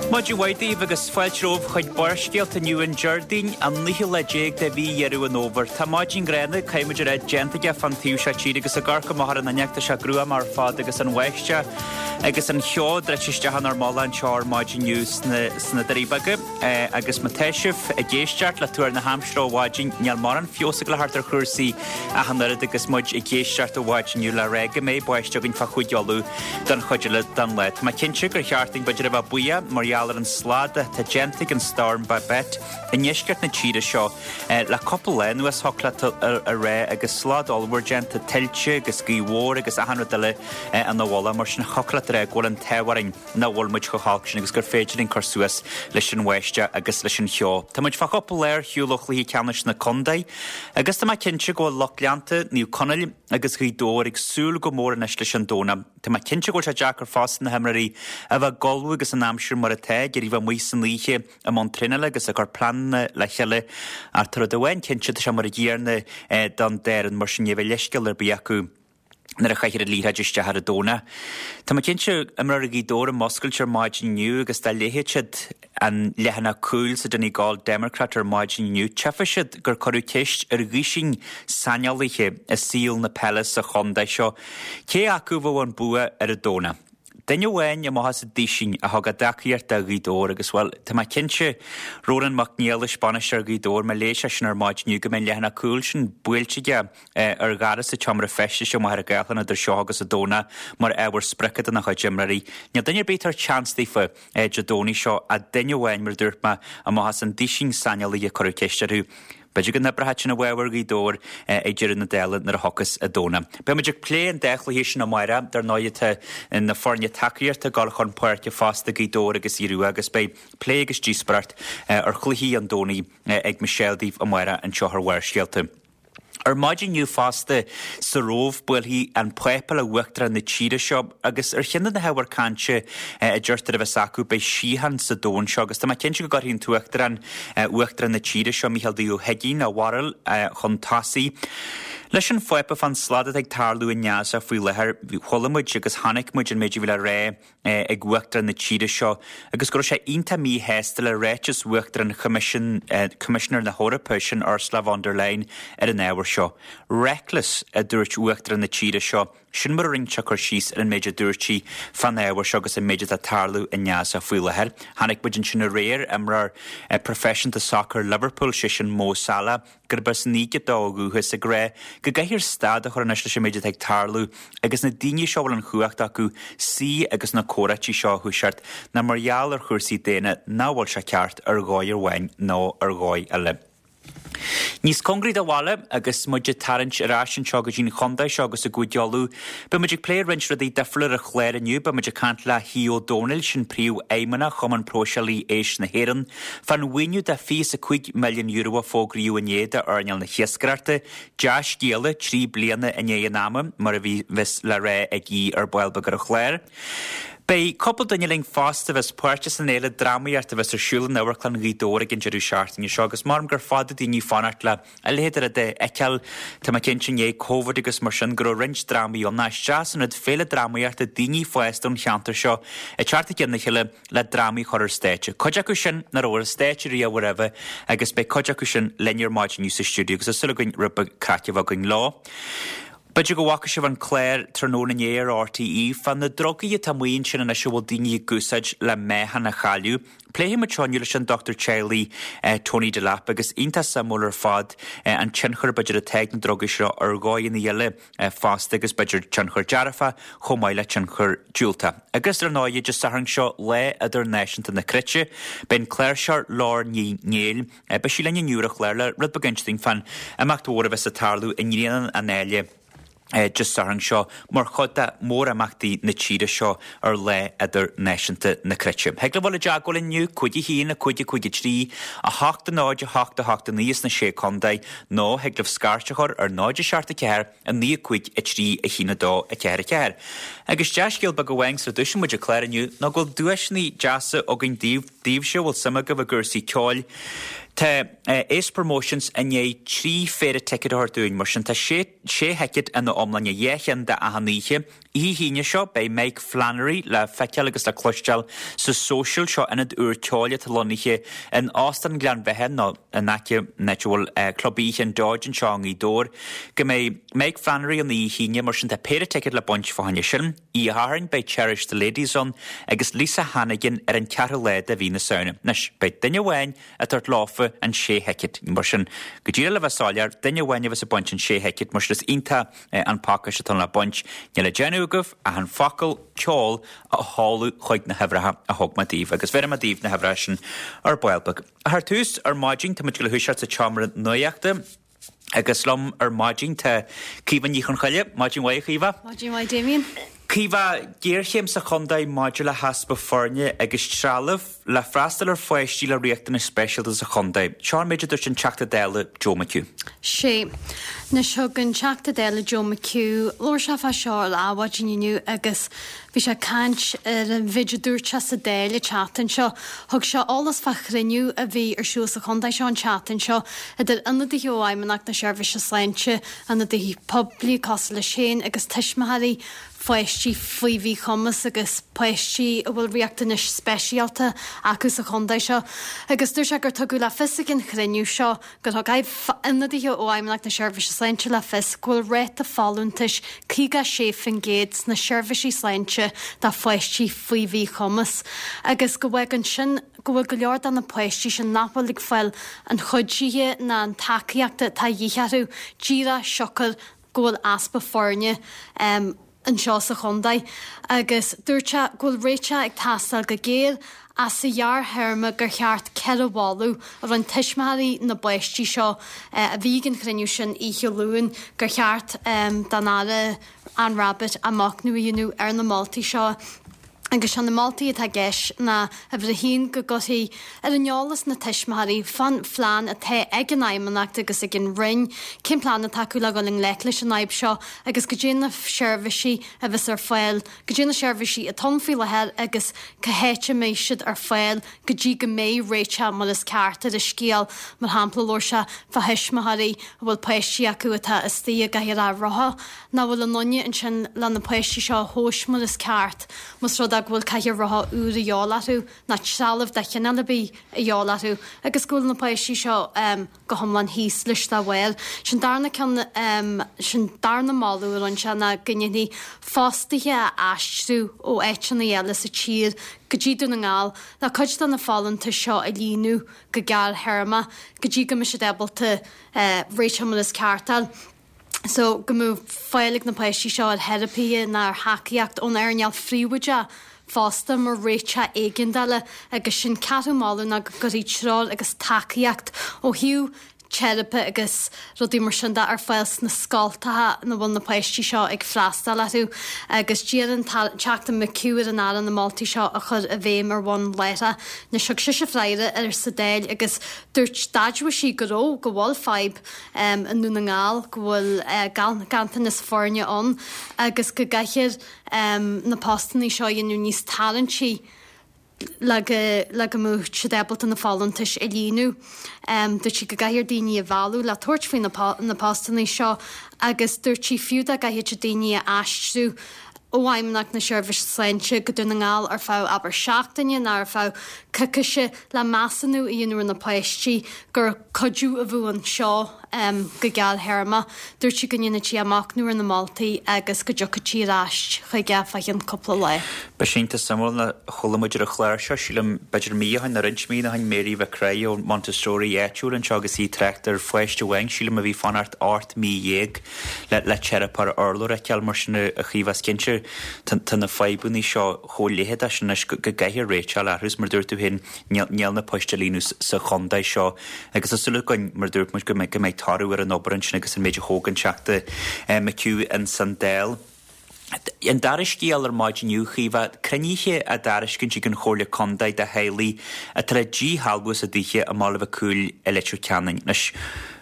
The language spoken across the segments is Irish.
Maidin mhaith daoibh agus fáilte romhaibh chuig Barrscéalta inniu an Déardaoin, an naoú lá déag de mhí Dheireadh an Fhómhair. Tá maidin ghránna, caithfidh muid a rá, déanta aige fán taobh seo tíre agus ag amharc amach ar an fhuinneog tá sé gruama ar fad agus an bháisteach agus an cheo druidte isteach inár mullach anseo ar maidin inniu sna Doirí Beaga. Agus má tá sibh ag éisteacht le tuar na haimsire ó mhaidin, níl mórán feabhas ag dul a theacht ar chúrsaí ach an oiread agus muid ag éisteacht ó mhaidin inniu le rá go mbeidh báisteach againn fá Chúige Uladh don chuid eile den lá. Tá mé cinnte gur cheart dúinn b'fhéidir a bheith buíoch mar gheall ar an slad atá déanta ag an Storm Babet i ndeisceart na tíre seo le cúpla lá anuas, thiocfadh leat a rá, agus slad ollmhór déanta, tuilte agus gaoth mhór agus achan rud eile ina mhullach, mar sin thiocfadh leat a rá go bhfuil an t-ádh orainn. nach bhfuil muid chomh holc sin agus gur féidir linn cur suas leis an bháisteach agus leis an cheo. Tá muid fá chúpla lá ar shiúl ó chluiche ceannais na contae agus tá mé cinnte go bhfuil lucht leanta Naomh Conaill agus Ghaoth Dobhair ag súil go mór anois leis an Domhnach. Tá mé cinnte go bhfuil sé deacair fosta na himreoirí a bheith ag ullmhú agus an aimsir mar atá, ag iarraidh bheith amuigh san oíche i mbun traenála agus ag cur pleananna le chéile ach tá rud amháin cinnte, tá sé mar an gcéanna don dá fhoireann mar sin ní bheidh leithscéal ar bith acu. nuair a chaithfear an liathróid isteach ar an Domhnach. Tá mé cinnte, imreoirí Ghaoth Dobhair ag muscailt ar maidin inniu agus dá léifeadh siad an leathanach cúil sa Donegal Democrat ar maidin inniu, tchífeadh siad gur cuireadh ceist ar dhuisín saineolaithe i saol na peile sa chontae seo cé acu a bheadh an bua ar an Domhnach. Duine amháin amach as an duisín a thug a dtacaíocht do Ghaoth Dobhair agus, bhuel, tá mé cinnte, Rónán Mac Niallais, bainisteoir Ghaoth Dobhair, má léigh sé sin ar maidin inniu go mbeidh an leathanach cúil sin buailte aige ar dhoras an tseomra feistis i Machaire Gathlán idir seo agus an Domhnach mar ábhar sprice dona chuid imreoirí. Níl duine ar bith ag tabhairt seans daofa Dé Domhnaigh seo ach duine amháin, mar a dúirt mé, amach as an duisín saineolaithe a cuireadh ceist orthu. B'fhéidir go n-oibreoidh sin i bhfabhar Ghaoth Dobhair ag deireadh na dála nuair a thiocfas an Domhnach. Beidh muid ag plé an dá chluiche sin amárach. Dar ndóigh tá na foirne tacaíochta ag dul chun páirce fosta, Gaoth Dobhair agus Aodh Rua, agus beidh plé agus díospóireacht ar chluichí an Domhnaigh ag Michelle daoibh amárach anseo ar Bharrscéalta. Ar maidin inniu fosta sa Róimh buailfidh an Pápa le Uachtarán na tíre seo agus ar cheann de na hábhair cainte a deirtear a bheas acu beidh síocháin sa domhan seo agus tá mé cinnte go gcuirfidh an tUachtarán, Uachtarán na tíre seo, Mícheál D. Ó hUigínn, a bharúil chun tosaigh leis an Phápa fán slad atá ag tarlú i nGaza faoi láthair. Chuala muid agus chonaic muid an méid a bhí le rá ag Uachtarán na tíre seo agus go raibh sé iontach míshásta le ráiteas Uachtarán Choimisiún, Coimisinéir na hEorpa, sin Ursula von der Leyen, ar an ábhar seo. Reckless, a dúirt Uachtarán na tíre seo, sin mar a rinne sé cur síos ar an méid a dúirt sí fán ábhar seo agus an méid atá ag tarlú i nGaza faoi láthair. Chonaic muid ansin aréir imreoir proifisiúnta sacair Liverpool, sé sin Mo Salah, gurb as an Éigipt dó ó dhúchas, ag rá go gcaithfear stad a chur anois leis an méid atá ag tarlú agus na daoine seo a bhfuil an chumhacht acu suí agus na comhráití seo a thoiseacht ná mar gheall ar chúrsaí daonna nach bhfuil sé ceart ar dhóigh amháin nó ar dhóigh eile. Níos cóngaraí do bhaile agus muid ag tarraingt ar ais anseo go dtí an chontae seo agus i gCúige Uladh, beidh muid ag plé roinnt rudaí difriúla ar an chlár inniu. Beidh muid ag caint le hAodh Ó Domhnaill, sin Príomhfheidhmeannach Chumann Próiseálaí Éisc na hÉireann, Fán mhaoiniú de €25 milliún a fógraíodh inné d'earnáil na hiascaireachta, dea-scéala 3 bliana i ndiaidh an ama, mar a bheas le rá ag Aodh ar ball beag ar an chlár. Beidh cúpla duine linn fosta a bheas páirteach san fhéile drámaíochta a bheas ar siúl in Amharclann Ghaoth Dobhair ag an deireadh seachtaine seo agus measaim gur fada daoine ag fanacht le a leithéid de rud a fheiceáil. Tá mé cinnte i ndiaidh Covid agus mar sin go raibh roinnt drámaí ann. Is deas an rud féile drámaíochta daoine fásta ón cheantar seo ag teacht i gcionn a chéile le drámaí a chur ar stáitse. Cuid acu sin nach raibh ar stáitse riamh roimhe agus beidh cuid acu sin linn ar maidin inniu sa stiúideo agus tá súil againn rud beag craic a bheith againn leo. B'fhéidir go bhfaca sibh an clár tráthnóna inné ar RTÉ fá na drugaí atá amuigh ansin anois a bhfuil daoine ag úsáid le meáchan a chailleadh. Pléifidh muid seo inniu leis an dochtúir teaghlaigh Tony Delap agus iontach suimiúil ar fad an tionchar b'fhéidir atá ag na drugaí seo ar dhóigheanna eile fosta agus b'fhéidir tionchar dearfach chomh maith le tionchar diúltach. Agus ar ndóigh, Dé Sathairn seo, Lá Idirnáisiúnta na Cruite, beidh an cláirseoir Laura Ní Néill, beidh sí linn inniu ar an chlár le rud beag a inse dúinn fán imeacht mhór a bheas ag tarlú i nGrianán an Áille Dé Sathairn seo mar chuid de mhórimeachtaí na tíre seo ar Lá Idirnáisiúnta na Cruite. Thig libh dul i dteagmháil linn inniu, 5 1 5 5 3 8 0 8 8 9 sna Sé Contae nó thig libh scairt a chur ar 0 7 4 9 5 3 1 2 4 4. Agus dea-scéal beag amháin sula dtoisíonn muid an clár inniu ná go bhfuil duaiseanna deasa againn daoibh, daoibhse a bhfuil suim agaibh i gcúrsaí ceoil. Tá Ace Promotions i ndiaidh 3 phéire ticéad a thabhairt dúinn, mar sin tá sé sé thicéad ina iomláine, 2 cheann d'achan oíche. Oíche hAoine seo, beidh Mike Flannery le feiceáil agus le cloisteáil sa Social, seo ionad úr ceoil atá lonnaithe in Óstán Ghleann Bheatha nó in aice an áit a bhfuil Club Oíche an Dodge anseo i nGaoth Dobhair. Go mbeidh Mike Flannery ann oíche hAoine, mar sin tá péire ticéad le baint fá choinne sin. Oíche Shathairn beidh Cherish the Ladies ann agus Lisa Hannigan ar an ceathrú lá de mhí na Samhna. Anois, beidh duine amháin ag tabhairt leofa an sé thicéad. Mar sin, go díreach le bheith soiléir, duine amháin a bheas ag baint an sé thicéad, mar sin is iontach an pacáiste atá ann le baint. Níl le déanamh agaibh ach an focal ceol a sheoladh chuig na huimhreacha a thug mé daoibh, agus bhéarfaidh mé daoibh na huimhreacha sin ar ball beag. Ach ar tús, ar maidin, tá muid ag dul a thoiseacht sa tseomra nuachta. Agus liom ar maidin tá Caoimhe Ní Chonchoille. Maidin mhaith, a Chaoimhe. Maidin mhaith, Damien. Caoimhe, géarchéim sa chontae maidir le heaspa foirne agus trealamh le freastal ar pháistí le riachtanais speisialta sa chontae. Seo an méid a dúirt an Teachta Dála Joe McHugh. Sea. Anois thug an Teachta Dála Joe McHugh, labhair sé fá seo ar Adhmhaidin inniu agus Bhí sé ag caint ar an mhéid a dúirt sé sa Dáil an tseachtain seo. Thug sé eolas fá chruinniú a bhí ar siúl sa chontae seo an tseachtain seo idir ionadaithe ó Fheidhmeannacht na Seirbhíse Sláinte, ionadaithe poiblí cosúil leis féin agus tuismitheoirí pháistí faoi mhíchumas agus páistí a bhfuil riachtanais speisialta acu sa chontae seo. Agus dúirt sé gur tugadh le fios ag an chruinniú seo gur thug ionadaithe ó Fheidhmeannacht na Seirbhíse Sláinte le fios go bhfuil ráta folúntais 56% sna seirbhísí sláinte do pháistí faoi mhíchumas agus go bhfágann sin go bhfuil go leor de na páistí sin nach bhfuil ag fáil an chuidithe ná an tacaíochta atá de dhíth orthu díreach siocair go bhfuil easpa foirne anseo sa chontae agus dúirt sé go bhfuil réiteach ag teastáil go géar ach sa ghearrthéarma gur cheart 4 mholadh a rinne tuismitheoirí na bpáistí seo a bhí ag an chruinniú sin oíche Luain gur cheart don Aire Anne Rabbitte athmhachnamh a dhéanamh ar na moltaí seo. Agus sé na moltaí atá i gceist ná, uimhir a haon, go gcuirfí ar an eolas na tuismitheoirí fán phlean atá ag an Fheidhmeannacht agus ag an Roinn, cén plean atá acu le dhul i ngleic leis an fhadhb seo agus goidé na seirbhísí a bheas ar fáil, goidé na seirbhísí atá ann faoi láthair agus cá háit a mbeidh siad ar fáil go dtí go mbeidh réiteach mar is ceart ar an scéal. Mar shampla, labhair sé fá thuismitheoirí a bhfuil páistí acu atá istigh i gcathaoir rotha, nach bhfuil aon duine ansin le na páistí seo a thomhais mar is ceart, más rud é go bhfuil cathaoir rotha úr a dhíobháil orthu, ná trealamh de chineál ar bith a dhíobháil orthu, agus go bhfuil na páistí seo go hiomlán thíos leis dá bharr. Sin darna ceann, sin darna moladh a rinne sé ná go ndéanfaí fostaithe a aistriú ó áiteanna eile sa tír go dtí Dún na nGall le cuid de na folúntais seo a líonadh go gearrthéarmach go dtí go mbeidh siad ábalta réiteach mar is ceart a fháil. so go mbeadh fáil ag na páistí seo ar theiripithe ná ar thacaíocht ón earnáil phríobháideach fosta mar réiteach éigeandála agus sin ceathrú moladh ná go gcuirfí treoir agus tacaíocht ó thaobh teiripe agus rudaí mar sin de ar fáil sna scoltacha ina bhfuil na páistí seo ag freastal orthu agus d'iarr an Teachta McHugh ar an Aire na moltaí seo a chur i bhfeidhm ar bhonn láithreach. Anois thug sise freagra air sa Dáil agus dúirt d'admhaigh sí go raibh, go bhfuil fadhb i nDún na nGall go bhfuil ganntanas foirne ann agus go gcaithfear na postanna seo a dhéanamh níos tarraingtí le go le go mbeadh siad ábalta na folúntais a líonadh. Dúirt sí go gcaithfear daoine a mhealladh le tabhairt faoi na postanna seo agus dúirt sí fiú dá gcaithfeadh siad daoine a aistriú ó Fheidhmeannacht na Seirbhíse Sláinte go Dún na nGall ar feadh abair seachtaine nó ar feadh coicíse le measúnú a dhéanamh ar na páistí gur cuidiú a bheadh anseo go gearrthéarmach. Dúirt sí go ndéanfadh sí machnamh ar na moltaí agus go dtiocfadh sí ar ais chuige fá cheann cúpla lá. Beidh sé iontach suimiúil. Chuala muid ar an chlár seo, sílim, b'fhéidir mí ó shin nó roinnt míonna ó shin, Mary Mhic Craith ón Montessori áitiúil anseo agus í ag trácht ar pháiste amháin, sílim, a bhí ag fanacht 18 mí le le teiripeoir urlabhra a fheiceáil mar sin a Chaoimhe is cinnte tá na fadhbanna seo chomh leitheadach sin anois go gcaithfear réiteach a fháil orthu is mar a dúirt tú féin níl na poist á líonadh sa chontae seo agus tá súil againn mar a dúirt muid go mbeidh toradh ar an obair ansin agus an méid a thóg an Teachta McHugh ins an Dáil. An dara scéal ar maidin inniu, Chaoimhe, cruinnithe á dtairiscint ag an Chomhairle Contae do theaghlaigh atá le díshealbhú as a dtithe i mBaile Mhic Cumhaill i Leitir Ceanainn. Anois,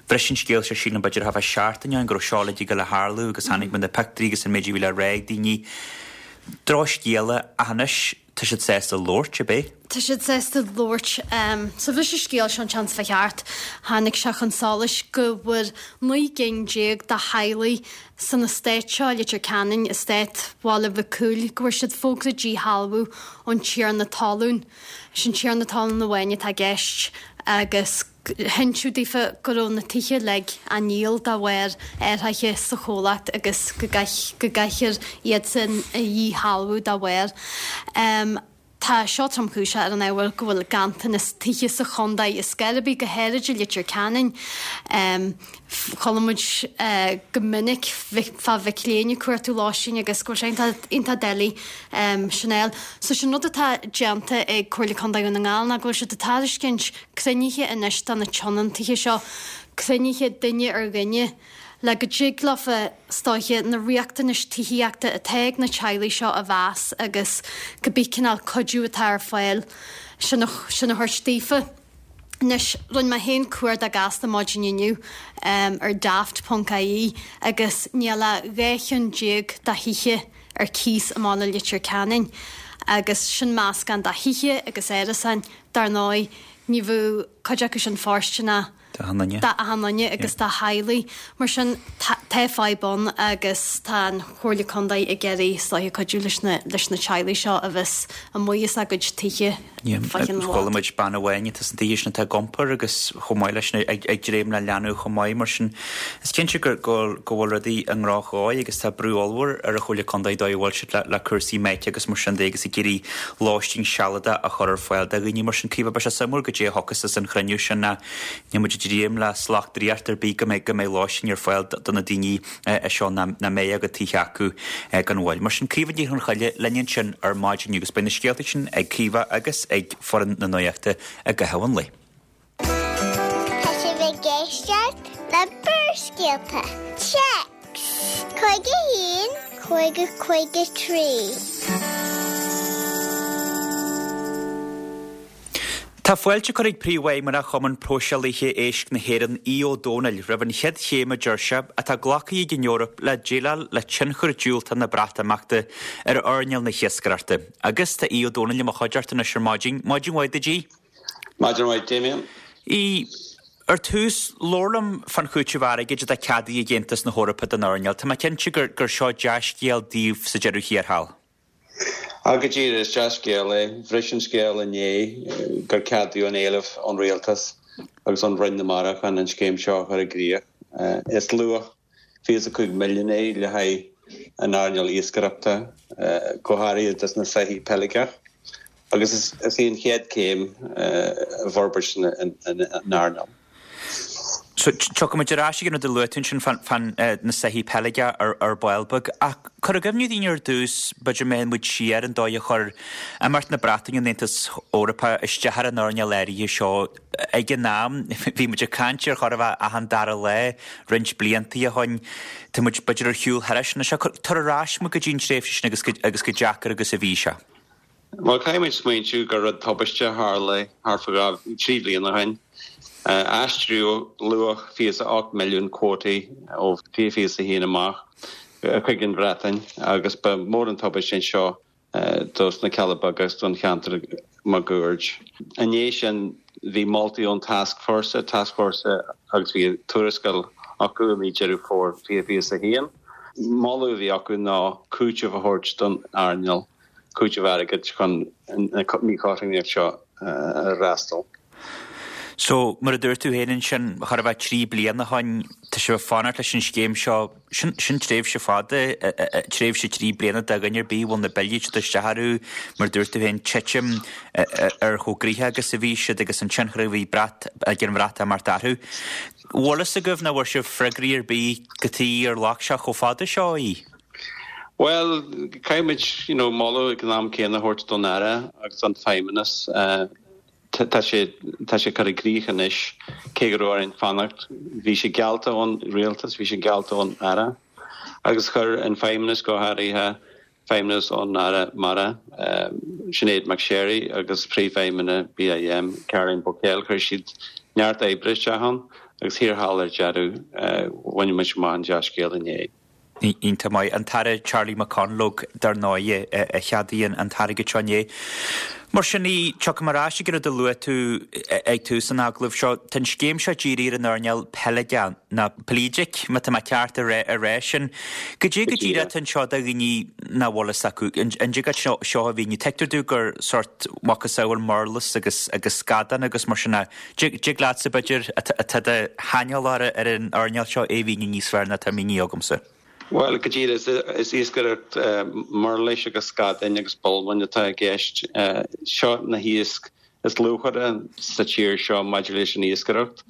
bhris an scéal seo sílim b'fhéidir thart fá seachtain ó shin go raibh seo uilig ag dul a tharlú agus chonaic muid na pictiúirí agus an méid a bhí le rá ag daoine. Drochscéala ach anois. Tá siad sásta labhairt, ab é? Tá siad sásta labhairt. Sa bhris an scéal seo an tseachtain seo chuaigh thart, tháinig sé chun solais go bhfuair 19 gcinn de theaghlaigh san eastát seo i Leitir Ceanainn, eastát Bhaile Mhic Cumhaill, go bhfuair siad fógra díshealbhú ón tiarna talún. Is an tiarna talún amháin atá i gceist agus hinseadh daofa go raibh na tithe uilig á ndíol dá bharr athraithe sa chomhlacht agus go gcaithfear iadsan a dhíshealbhú dá bharr. Tá seo tromchúiseach ar an ábhar go bhfuil ganntanas tithe sa chontae ar scor ar bith, go háirid i Leitir Ceanainn. Chuala muid go minic fá mhic léinn ag cuartú lóistín agus go bhfuil sé iontach doiligh sin a fháil. So sin rud atá déanta ag Comhairle Contae Dhún na nGall ná go bhfuil siad ag tairiscint cruinnithe anois do na tionóntaithe seo, cruinnithe duine ar dhuine, le go dtig leofa, is dóiche, na riachtanais tithíochta atá ag na teaghlaigh seo a mheas agus cibé cineál cuidiú atá ar fáil sin a sin a thabhairt daofa. Anois, rinne mé féin cuardach gasta maidin inniu ar daft ponc ie agus níl ach 12 cheann de thithe ar cíos i mbaile Leitir Ceanainn agus sin meascán de thithe agus árasáin. Dar ndóigh, ní bheadh cuid acu sin fóirsteanach d'achan duine agus do theaghlaigh. Mar sin, tá fadhb ann agus tá an Chomhairle Contae ag iarraidh, is dóiche, cuidiú leis na leis na teaghlaigh seo a bheas amuigh as a gcuid tithe fá cheann i bhfad. Chuala muid bean amháin atá sna tithe sin atá ag iompar agus chomh maith leis sin ag dréim le leanbh chomh maith. Mar sin, is cinnte go bhfuil rudaí i ndrochdhóigh agus tá brú ollmhór ar an Chomhairle Contae dóigh a bhfuil siad le cúrsaí meáite agus mar sin de agus ag iarraidh lóistín sealadach a chur ar fáil do dhaoine. Mar sin, Caoimhe, beidh sé suimiúil goidé a thiocfas as an chruinniú sin ach níl muid ag dréim le slacht draíochta ar bith go mbeidh go mbeidh lóistín ar fáil do na daoine seo nach mbeidh a gcuid tithe acu gan mhoill. Mar sin, Caoimhe Ní Chonchoille linn ansin ar maidin agus beidh na scéalta sin ag Caoimhe agus ag foireann na Nuachta i gcaitheamh an lae. Tá sibh ag éisteacht le Barrscéalta. Téacs 51 50 53. Tá fáilte curtha ag Príomhfheidhmeannach Chumann Próiseálaithe Éisc na hÉireann, Aodh Ó Domhnaill, roimh an chéad chéim a deir sé, atá glactha ag an Eoraip le déileáil le tionchar diúltach na Breatimeachta ar earnáil na hiascaireachta. Agus tá Aodh Ó Domhnaill i mo chuideachta anois ar maidin. Maidin mhaith duit, Aodh. Maidin mhaith, Damien. Aodh, Ar tús, labhair liom fán chúiteamh airgid atá ceadaithe ag Aontas na hEorpa don earnáil. Tá mé cinnte gur gur seo dea-scéal daoibh sa deireadh thiar thall. Á, go díreach, is dea-scéal é. Bhris an scéal inné gur ceadaíodh an éileamh ón Rialtas agus ón Roinn na Mara chun an scéim seo a chur i gcrích. Is luach 25 milliún é le haghaidh an earnáil iascaireachta, go háirithe dos na soithí peiligeach, agus is í an chéad céim i bhforbairt an earnáil. So, tiocfaidh muid ar ais ag an rud a luaigh tú ansin fán na soithí peiligeach ar ball beag, ach cuir i gcuimhne dúinn ar dtús, b'fhéidir má théann muid siar, an dóigh a chuir imeacht na Breataine ón Aontas Eorpach isteach ar an earnáil áirithe seo. Ag an am, bhí muid ag caint ar chóir a bheith achan dara lá roinnt blianta ó shoin. Tá muid, b'fhéidir, ar shiúl thairis anois. Tabhair ar ais muid go dtí an tréimhse sin agus agus chomh deacair agus a bhí sé. Bhuel, caithfidh muid smaointiú gur rud tubaiste a tharla thart fá dhá, trí bliana ó shin. Aistríodh luach 28 milliún cuótaí ó 2021 amach chuig an Bhreatain agus ba mhór an tubaiste é seo dos na Cealla Beaga agus don cheantar máguaird. I ndiaidh sin bhí moltaí ón Tascfhórsa, Tascfhórsa agus bhí tuarascáil acu i mí Deireadh Fómhair 2021. Moladh a bhí acu ná cúiteamh a thabhairt don earnáil, cúiteamh airgid chun an mhíchothromaíocht seo a fhreastal. So, mar a dúirt tú féin ansin, chóir a bheith 3 bliana ó shoin, tá sibh ag fanacht leis an scéim seo, sin, sin tréimhse fada, tréimhse 3 bliana do dhuine ar bith a bhfuil na billí ag teacht isteach orthu, mar a dúirt tú féin, titim ar chomh gnoitheach agus a bhí siad agus an tionchar a bhí Brat, ag an Bhreatimeacht orthu. Bhfuil fhios agaibh nó bhfuair sibh freagraí ar bith cad chuige ar ghlac sé chomh fada seo í? Bhuel, caithfidh muid, you know, moladh ag an am céanna a thabhairt don Aire agus don Feidhmeannas. Tá sé, tá sé curtha i gcrích anois, cé go raibh orainn fanacht. Bhí sé geallta ón Rialtas, bhí sé geallta ón Aire agus chuir an Feidhmeannas, go háirithe Feidhmeannas ón Aire Mara, Sinéad McSharry agus Príomhfheidhmeannach BIM, Caroline Bocquel, chuir siad neart oibre isteach ann agus thiar thall ar deireadh, bhain muid amach an dea-scéal inné. Iontach maith. An tAire Charlie McConalogue, dar ndóighe, a cheadaigh an t-airgead seo inné. Mar sin, tiocfaidh mé ar ais ag an rud a luaigh tú ag tús an agallaimh seo. Tá an scéim seo dírithe ar an earnáil peiligeach, nó pelagic, má tá mé ceart a rá sin. Goidé go díreach atá anseo do dhaoine nach bhfuil fhios acu. An dtig leat seo a mhíniú? Tuigtear domh gur sórt macasamhail murlas agus agus scadán agus mar sin ach dtig leatsa, b'fhéidir, atá de shaineolóir ar an earnáil seo é a mhíniú níos fearr ná atá mínithe agamsa. Bhuel, go díreach, is iascaireacht murlais agus scadáin agus bolmáin atá i gceist. Seo na hiasc is luachmhaire sa tír seo maidir leis an iascaireacht.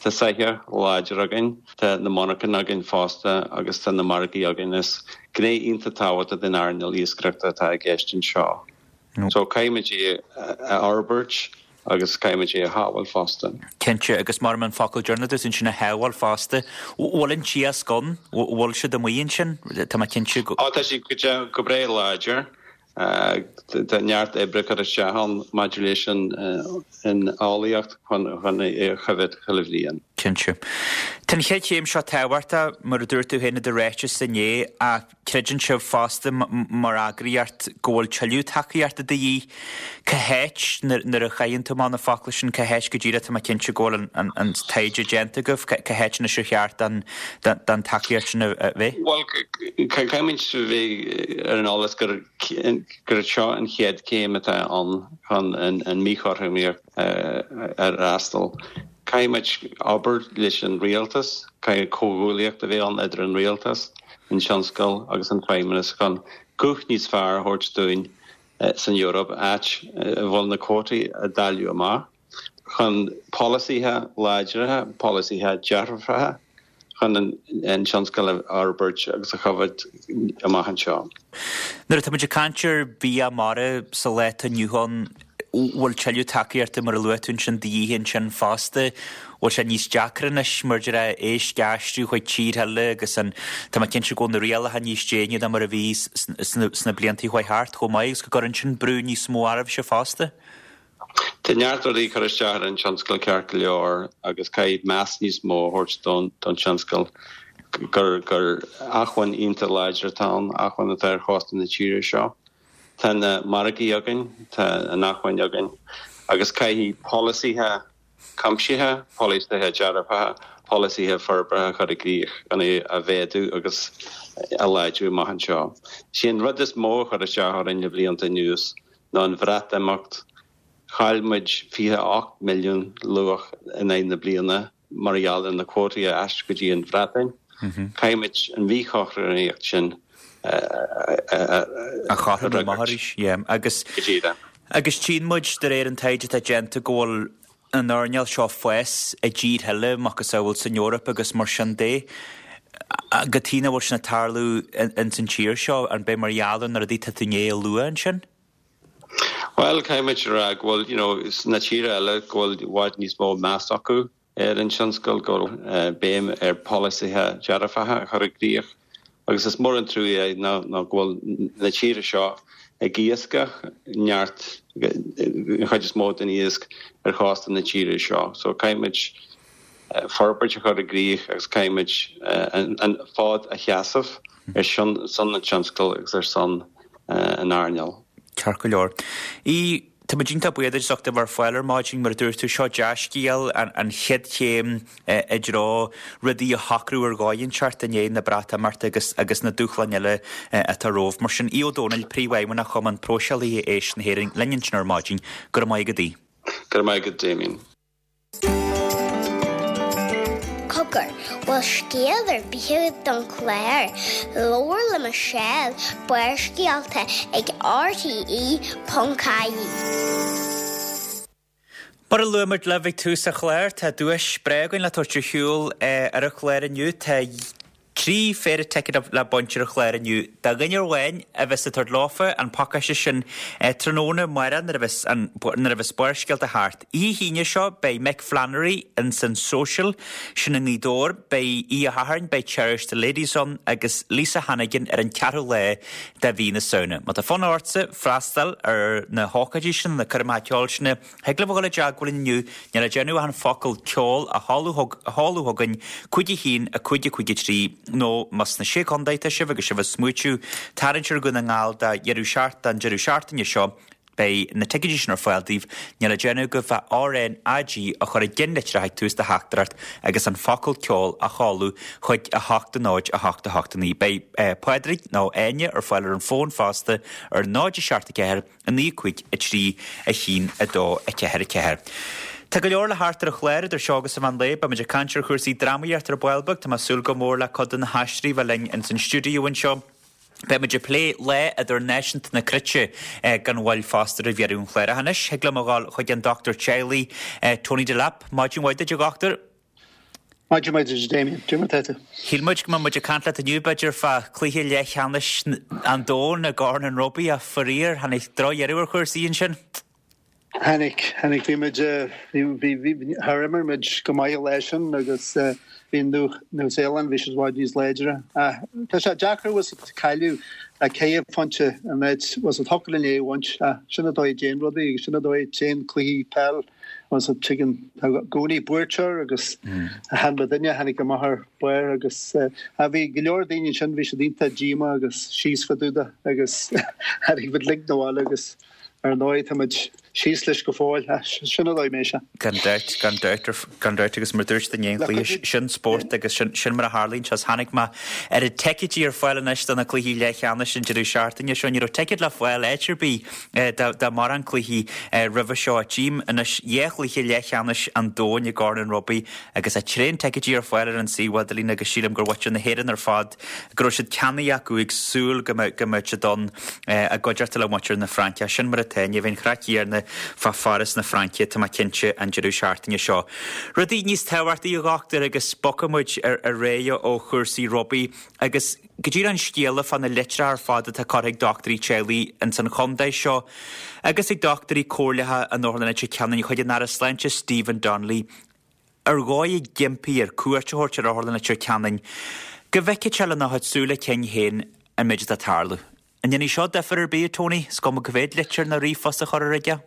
Tá soitheach láidir againn, tá na monarchain againn fosta agus tá na margaí againn. Is gné iontach tábhachtach den earnáil iascaireachta atá i gceist anseo. So caithfimid é a fhorbairt agus caithfimid é a shábháil fosta. Cinnte, agus mar an focal deireanach duit ansin a shábháil fosta. Bhfuil an t-iasc ann? Bhfuil siad amuigh ansin? Tá mé cinnte go. Ó tá siad go breá láidir. Tá neart oibre curtha isteach ann maidir leis an eolaíocht chun é a choimhéad chuile bhliain. Cinnte. Tá an chéad chéim seo tábhachtach, mar a dúirt tú féin i do ráiteas inné, ach Creideann sibh fosta, mar eagraíocht, go bhfuil tuilleadh tacaíochta de dhíth. Cá háit, nuair a chaitheann tú amach na focla sin, cá háit go díreach, tá mé cinnte go bhfuil an taighde déanta agaibh, cá háit anois ar cheart don tacaíocht sin a bheith? Bhuel, caithfimid a bheith ar an eolas gur seo an chéad chéim atá ann chun an mhíchothromaíocht a fhreastal. Caithfimid obair leis an rialtas, caithfidh comhghuaillíocht a bheith ann idir an rialtas, an tionscal agus an feidhmeannas chun guth níos fearr a thabhairt dúinn san Eoraip, áit a bhfuil na cuótaí á dáileadh amach, chun polasaithe láidre, polasaithe dearfacha chun an tionscal a fhorbairt agus a choimhéad amach anseo. Nuair atá muid ag caint ar bhia mara sa lá atá inniu ann, bhfuil tuilleadh tacaíochta, mar a luaigh tú ansin, de dhíth ansin fosta? Bhfuil sé níos deacra anois mar a déarfá éisc a aistriú chuig tír eile agus an, tá mé cinnte go bhfuil na rialacha níos déine ná mar a bhí sna blianta a chuaigh thart chomh maith agus go gcuireann sin brú níos mó oraibhse fosta? Tá neart rudaí ag cur isteach ar an tionscal ceart go leor agus caithfidh meas níos mó a thabhairt don tionscal gur gur acmhainn iontach láidir atá ann, acmhainn atá ar chósta na tíre seo. Tá na margaí againn, tá an acmhainn againn agus caithfidh polasaithe cuimsithe, polasaithe dearfacha, polasaithe forbartha a chur i gcrích chun é a mhéadú agus a láidriú amach anseo. Is é an rud is mó a chuir isteach orainn le blianta anuas ná an Bhreatimeacht. Chaill muid 28 milliún luach in aghaidh na bliana mar gheall ar na cuótaí a aistriú go dtí an Bhreatain. Caithfimid an mhíchothromaíocht sin a chothromú amach arís. Yeah. Agus agus tchíonn muid de réir an taighde atá déanta go bhfuil an earnáil seo ag fás i dtíortha eile, macasamhail san Eoraip agus mar sin de. Cad chuige nach bhfuil sin ag tarlú ins an tír seo, an b'é mar gheall ar na rudaí atá tú i ndiaidh a lua ansin? Bhuel, caithfimid a rá go bhfuil, you know, sna tíortha eile go bhfuil i bhfad níos mó meas acu ar an tionscal, go bhfuil béim ar pholasaithe dearfacha a chur i gcrích agus is mór an trua é ná go bhfuil na tíortha seo ag iascach neart, an chuid is mó den iasc ar chósta na tíre seo. So caithfimid forbairt a chur i gcrích agus caithfimid an fód a sheasamh ar son an tionscail agus ar son an earnáil. Ceart go leor. Aodh, Tá muid iontach buíoch duit as ucht a bheith ar fáil ar maidin. Mar a dúirt tú, seo dea-scéal, an chéad chéim i dtreo rudaí a shocrú ar dhóigh inteacht i ndiaidh na Breatimeachta agus agus na dúshláin eile atá romhaibh. Mar sin, Aodh Ó Domhnaill, Príomhfheidhmeannach Chumann Próiseálaithe Éisc na hÉireann, linn ansin ar maidin. Go raibh maith agat, Aodh. Go raibh maith agat, Damien. Cogar, bhfuil scéal ar bith agat don chlár? Labhair le Michelle, Barrscéalta ag RTE.ie. Mar a luaigh muid libh ag tús an chláir, tá duais breá againn le tabhairt ar shiúl ar an chlár inniu. Tá 3 phéire ticéad le baint ar an chlár inniu do dhuine amháin a bheas ag tabhairt leofa an pacáiste sin tráthnóna amárach nuair a bheas an nuair a bheas Barrscéalta thart. Oíche hAoine seo beidh Mick Flannery ins an Social, sin i nGaoth Dobhair, beidh Oíche Shathairn beidh Cherish the Ladies ann agus Lisa Hannigan ar an ceathrú lá de mhí na Samhna. Má tá fonn ortsa freastal ar na hócáidí sin, na coirmeacha ceoil sin, Thig libh a dhul i dteagmháil linn inniu, níl le déanamh ach an focal 'ceol' a sheoladh chugainn, 5 1 5 5 3. Nó más sna Sé Chontae atá sibh agus sibh ag smaoitiú tarraingt ar Dhún na nGall do dheireadh don deireadh seachtaine seo, beidh na ticéidí sin ar fáil daoibh. Níl le déanamh agaibh ach RnaG a chur i gceann litreach ag tús do theachtaireacht agus an focal ceol a sheoladh chuig 8 0 8 8 9. Beidh Pádraig nó Áine ar fáil ar an bhfón fosta ar 0 7 4 9 5 3 1 2 4 4. Tá go leor le theacht ar an chlár idir seo agus an mheán lae. Beimid ag caint ar chúrsaí drámaíochta ar ball beag. Tá mé ag súil go mór le cuid de na haisteoirí a bheith linn ins an stiúideo anseo. Beimid ag plé Lá Idirnáisiúnta na Cruite gan mhoill fosta roimh dheireadh an chláir. Ach anois, thig liom a dhul chuig an dochtúir teaghlaigh, Tony Delap. Maidin mhaith duit, a dhochtúir. Maidin mhaith duit, Damien. Cad é mar atá tú? Shíl muid go mbeadh muid ag caint leat inniu, b'fhéidir, fá chluiche leathcheannais an domhain i gCorn an Rugbaí ach faraor, tháinig drochdheireadh ar chúrsaí ansin. Tháinig, tháinig. Bhí muid, bhí, bhí, bhí, char imir muid go maith an lá sin agus bhí an Nua-Shéalainn, bhí siad i bhfad níos láidre. Ach tá sé deacair, bhfuil 's agat, cailleadh le ceithre phointe an áit, bhfuil 's agat, thiocfadh linn é a bhaint ach sin an dóigh a dtéann rudaí agus sin an dóigh a dtéann cluichí peil. Bhfuil 's agat, tuigeann, tá i gcónaí buaiteoir agus chan muidinne a tháinig amach ar barr agus bhí go leor daoine ansin, bhí siad iontach díomách agus síos fá dtaobh de agus tháinig muid uilig 'na bhaile agus Ar ndóigh, tá muid síos leis go fóill. Sin an dóigh a mbeidh sé. Gan dabht, gan dabht, gan dabht agus mar dúirt tú i ndiaidh an chluiche, sin spórt agus sin, sin mar a tharlaíonn sé. Chonaic mé oiread ticéidí ar fáil anois do na cluichí leathcheannais an deireadh seachtaine seo. Ní raibh ticéad le fáil áit ar bith do mórán cluichí roimhe seo. Tchím anois dhá chluiche leathcheannais an domhain i gCorn an Rugbaí agus tá tréan ticéidí ar fáil ar an suíomh idirlín agus sílim gur mhuintir na hÉireann ar fad go raibh siad ceannaithe acu ag súil go mbeadh siad ann i gcuideachta le muintir na Fraince. Sin mar atá, ní bheidh an chraic chéanna fá Pháras na Fraince, tá mé cinnte, an deireadh seachtaine seo. Rudaí níos tábhachtaí, a dhochtúir, agus bogfaidh muid ar aghaidh ó chúrsaí rugbaí agus go díreach an scéala fá na litreacha ar fad atá curtha ag dochtúirí teaghlaigh ins an chontae seo agus ag dochtúirí comhairleacha in Otharlann Leitir Ceanainn chuig an Aire Sláinte Stephen Donnelly ar dhóigh ag impí air cuairt a thabhairt ar Otharlann Leitir Ceanainn go bhfeicfeadh sé lena chuid súile cinn féin an méid atá ag tarlú. An ndéanfaidh seo difear ar bith, a Tony? Is cuma cá mhéad litir nó ríomhphost a chuirfear aige?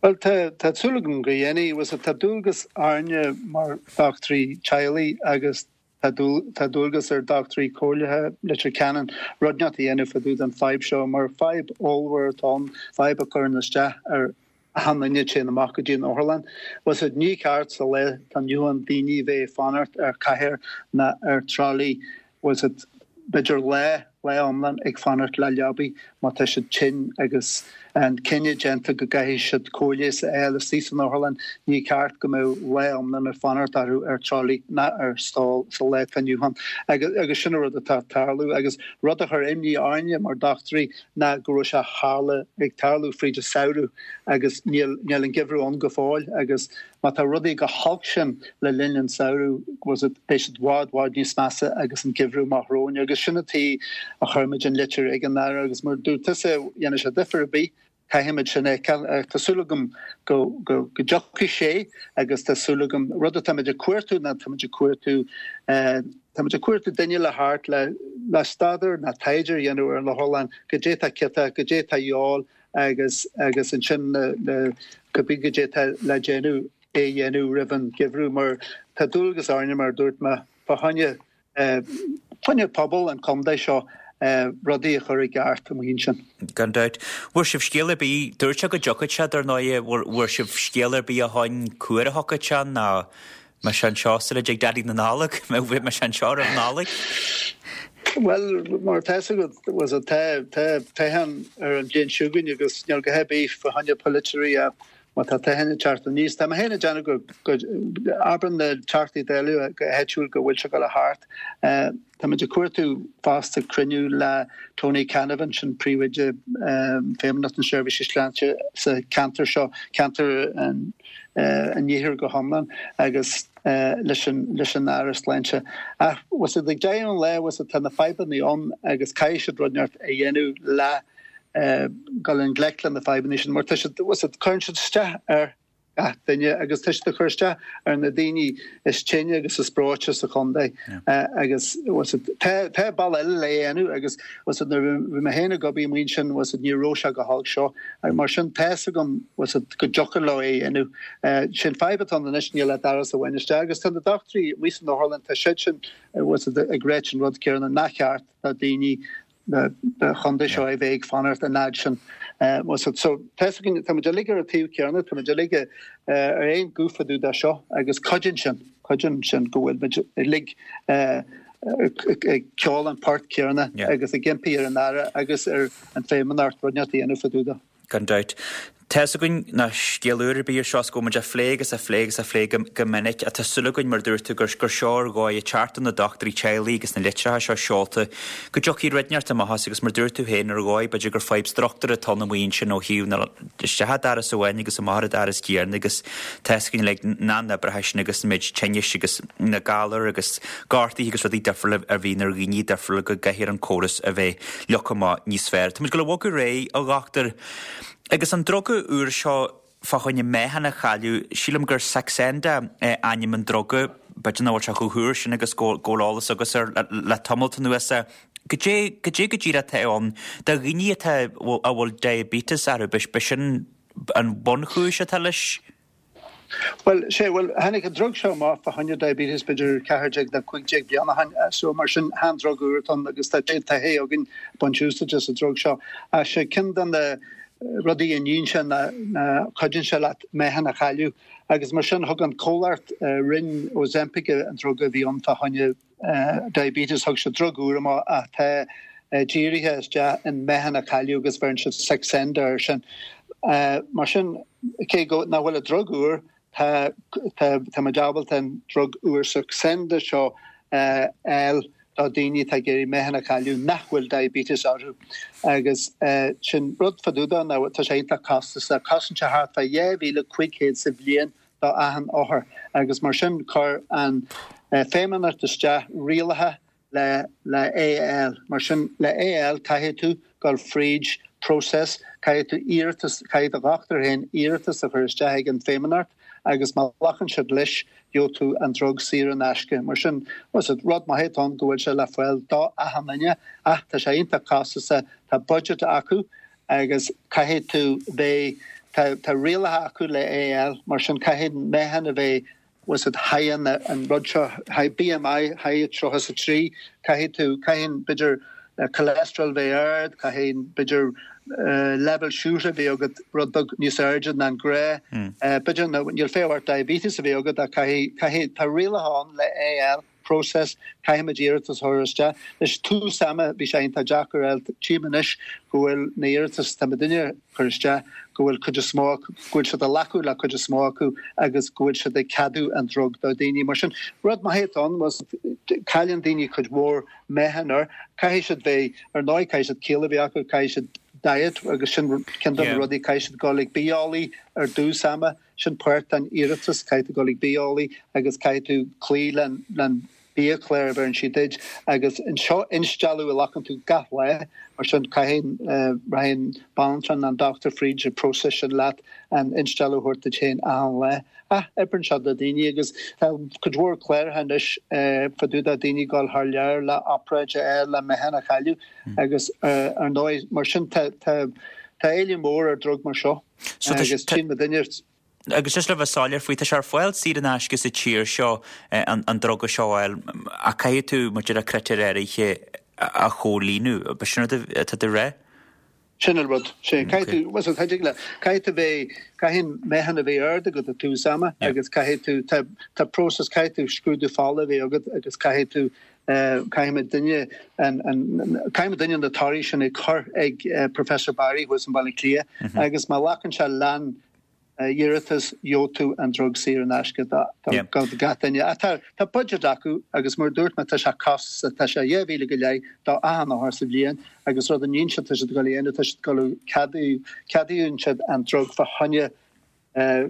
Bhuel, tá, tá súil agam go ndéanfaidh. Bhfuil 's agat, tá dualgas orainne mar dhochtúirí teaghlaigh agus tá, tá dualgas ar dhochtúirí comhairleacha Leitir Ceanainn rud inteacht a dhéanamh fá dtaobh den fadhb seo mar fadhb ollmhór atá ann, fadhb a chuireann isteach ar achan duine a téann amach go dtí an otharlann. Bhfuil 's agat, ní ceart sa lá atá inniu ann daoine bheith ag fanacht ar chathaoir ná ar trolley, bhfuil 's agat, b'fhéidir lá, lá iomlán ag fanacht le leabaidh má tá siad tinn agus an cinneadh déanta go gcaithfidh siad cóir leighis a fháil istigh san otharlann, ní ceart go mbeadh lá iomlán ag fanacht orthu ar trolley ná ar stól sa lá atá inniu ann. Agus sin an rud atá ag tarlú agus rud a chuir imní orainne mar dochtúirí ná go raibh sé tharla, ag tarlú fríd an samhradh agus níl, níl an geimhreadh ann go fóill agus má tá rudaí chomh holc sin le linn an samhradh, bhfuil 's agat, beidh siad bhfad, bhfad níos measa agus an geimhreadh amach romhainn agus sin an tuige a chuir muid an litir ag an Aire agus mar dúirt tusa, dhéanfaidh sé difear ar bith, caithfimid sin a fheiceáil. Tá súil agam go, go, go dtiocfaidh sé agus tá súil agam, rud atáimid ag cuartú ná táimid ag cuartú eh, Táimid ag cuartú duine le theacht le le staidéar ná taighde a dhéanamh ar an otharlann, goidé tá ciotach, goidé tá a dhíobháil agus agus ansin le le cibé goidé tá le déanamh é a dhéanamh roimh an gheimhreadh mar tá dualgas orainne mar a dúirt mé fá choinne fá choinne pobal an chontae seo rudaí a chur i gceart amuigh ansin. Gan dabht. Bhfuair sibh scéal ar bith, dúirt sé go dtiocfadh sé dar ndóigh, bhfuair sibh scéal ar bith ó shoin cá huair a thiocfadh sé nó Mbeidh sé anseo sula dtig Daidí na Nollag? Mbeidh sé anseo roimh Nollaig? Bhuel, mar atá 'fhios agat, bhfuil 's agat, tá, tá toghchán ar an bhliain seo chugainn agus níl a dhath ar bith fá choinne polaiteoirí ach má tá toghchán ag teacht aníos. Tá mé féin ag déanamh go, go, abrann na Teachtaí Dála go háitiúil go bhfuil sé ag dul a theacht. Táimid ag cuartú fosta cruinniú le Tony Canavan, sin príomhoide Feidhmeannacht na Seirbhíse Sláinte sa cheantar seo, ceantar an Iarthair go hiomlán, agus leis an leis an Aire Sláinte. Ach bhfuil 's agat, ag deireadh an lae, bhfuil 's agat, tá na fadhbanna ann agus caithfidh siad rud inteacht a dhéanamh le dul i ngleic le na fadhbanna sin mar tá siad, bhfuil 's agat, cuireann siad isteach ar. gach duine agus tá siad ag cur isteach ar na daoine is tinne agus is breoite sa chontae agus tá tá bealach eile le dhéanamh agus nuair a bhí mé féin ag obair amuigh ansin ní raibh sé chomh holc seo mar sin tá's agam go dtiocfadh leo é a dhéanamh. Sin fadhb atá ann anois níl ach doras amháin isteach agus tá na dochtúirí amuigh san otharlann tá siad sin ag ráit an rud céanna nach ceart do daoine na chontae seo a bheith ag fanacht an fhad sin. So tá's againn, tá muid uilig ar an taobh céanna, tá muid uilig ar aon guth fá dtaobh de seo agus cuidíonn sin, cuidíonn sin go bhfuil muid uilig ag ceol an port céanna agus ag impí ar an Aire agus ar an Feidhmeannacht rud inteacht a dhéanamh fá dtaobh de. Gan dabht. Tá's againn nach scéal úr ar bith é seo is go bhfuil muid á phlé agus á phlé agus á phlé go minic ach tá súil againn, mar a dúirt tú, gur seo ar dhóigh ag teacht do na dochtúirí teaghlaigh agus na litreacha seo seolta, go dtiocfaidh rud inteacht amach as agus mar a dúirt tú féin, ar dhóigh b'fhéidir gur fadhb struchtúir atá ann amuigh ansin ó thaobh na isteach an doras amháin agus amach ar an doras céanna agus tá's againn uilig na n-oibreacha sin agus an méid tinnis agus na galair agus gortuithe agus rudaí difriúla a bhíonn ar dhaoine difriúla go gcaithfear an córas a bheith leagtha amach níos fearr. Tá muid ag dul a bhogadh ar aghaidh, a dhochtúir. Agus an druga úr seo fá choinne meáchan a chailleadh, sílim gur Saxenda ainm an druga, b'fhéidir nach bhfuil sé chomh húr sin agus go bhfuil eolas agat air le tamalt anuas. Goidé, goidé go díreach atá ann do dhaoine atá, a bhfuil diabetes orthu, b'shin an bunchúis atá leis? Bhuel, sé, bhuel, tháinig an drug seo amach fá choinne diabetes b'fhéidir 14 nó 15 bliain ó shin, so mar sin chan drug úr atá ann agus tá taithí againn baint úsáide as an drug seo. Ach sé ceann de na rudaí a níonn sé ná ná cuidíonn sé leat meáchan a chailleadh agus mar sin thug an comhlacht a rinne Ozempic an drug a bhí ann fá choinne diabetes, thug siad drug úr amach atá dírithe isteach in meáchan a chailleadh agus bheireann siad Saxenda air sin. Mar sin, cé go nach bhfuil an drug úr, tá tá muid ábalta an drug úr Saxenda seo a fháil do daoine atá ag iarraidh meáchan a chailleadh nach bhfuil diabetes orthu. Agus sin rud fá dtaobh de ná tá sé iontach costasach, cosnaíonn sé thart fá 2,500 sa bhliain do achan othar agus mar sin chuir an Feidhmeannacht isteach rialacha le le é a fháil. Mar sin le é a fháil caithfidh tú dul fríd process, caithfidh tú iarratas, caithfidh do dhochtúir féin iarratas a chur isteach ag an Feidhmeannacht agus má ghlacann siad leis gheobhaidh tú an drug saor in aisce. Mar sin rud maith atá ann go bhfuil sé le fáil do achan duine ach tá sé iontach costasach, tá budget acu agus caithfidh tú bheith, tá, tá rialacha acu le é a fháil, mar sin caithfidh an meáchan a bheith, bhfuil 's agat, high an, an rud seo, high, BMI, high 33, caithfidh tú, caithfidh, b'fhéidir, cholesterol bheith ard, caithfidh, b'fhéidir, leibhéal siúcra a bheith agat rud beag níos airde ná an gnáth, b'fhéidir, níl feidhm ort diabetes a bheith agat ach caithfidh, caithfidh, tá rialacha ann le é a fháil. process, caithfimid iarratas a chur isteach. Anois, tús ama, bhí sé iontach deacair a fháil. Tchím anois go bhfuil na iarratais atá muidinne a chur isteach, go bhfuil cuid is mó acu, go bhfuil siad ag glacadh le cuid is mó acu agus go bhfuil siad ag ceadú an drug do dhaoine. Mar sin, rud maith atá ann, cailleann daoine cuid mhór meáchan air. Caithfidh siad bheith, ar ndóigh, caithfidh siad ciall a bheith acu, caithfidh siad diet agus sin ceann de na rudaí, caithfidh siad dul ag bitheolaí ar dtús ama. Sin páirt den iarratas, caithfidh tú dul ag bitheolaí agus caithfidh tú cloí len biachlár a bheireann siad duit agus seo instealladh a ghlacann tú gach lá, mar sin caithfidh, rachaidh an banaltra nó an dochtúir fríd an process sin leat an instealladh a thabhairt duit féin achan lá. Ach oibreann sé do daoine agus tá cuid mhór cláracha anois fá dtaobh de daoine ag dul thar lear le obráid a fháil le meáchan a chailleadh agus ar ndóigh mar sin tá tá éileamh mór ar drug mar seo. So tá Agus tchíonn muidinne. Agus just le bheith soiléir faoi, tá sé ar fáil saor in aisce sa tír seo an druga seo a fháil ach caithfidh tú, mar a déarfá, critéir áirithe a chomhlíonadh. B'shin rud atá tú a rá? Sin an rud. Sin. Caithfidh tú, bhuel, tá dig le, caithfidh tú bheith, caithfidh an meáchan a bheith ard agat ag tús ama agus caithfidh tú, tá, tá process, caithfidh tú scrúdú fola a bheith agat agus caithfidh tú Caithfidh muidinne caithfidh muidinne na torthaí sin a chur ag Professor Barry thuas in Baile Átha Cliath agus má ghlacann sé len iarratas gheobhaidh tú an drug saor in aisce do gach duine. Ach tá tá budget acu agus mar a dúirt mé tá sé costasach, tá sé 2,000 go leith do achan othar sa bhliain agus rud a níonn siad tá siad ag dul a dhéanamh tá siad ag dul a ceadú ceadaíonn siad an drug fá choinne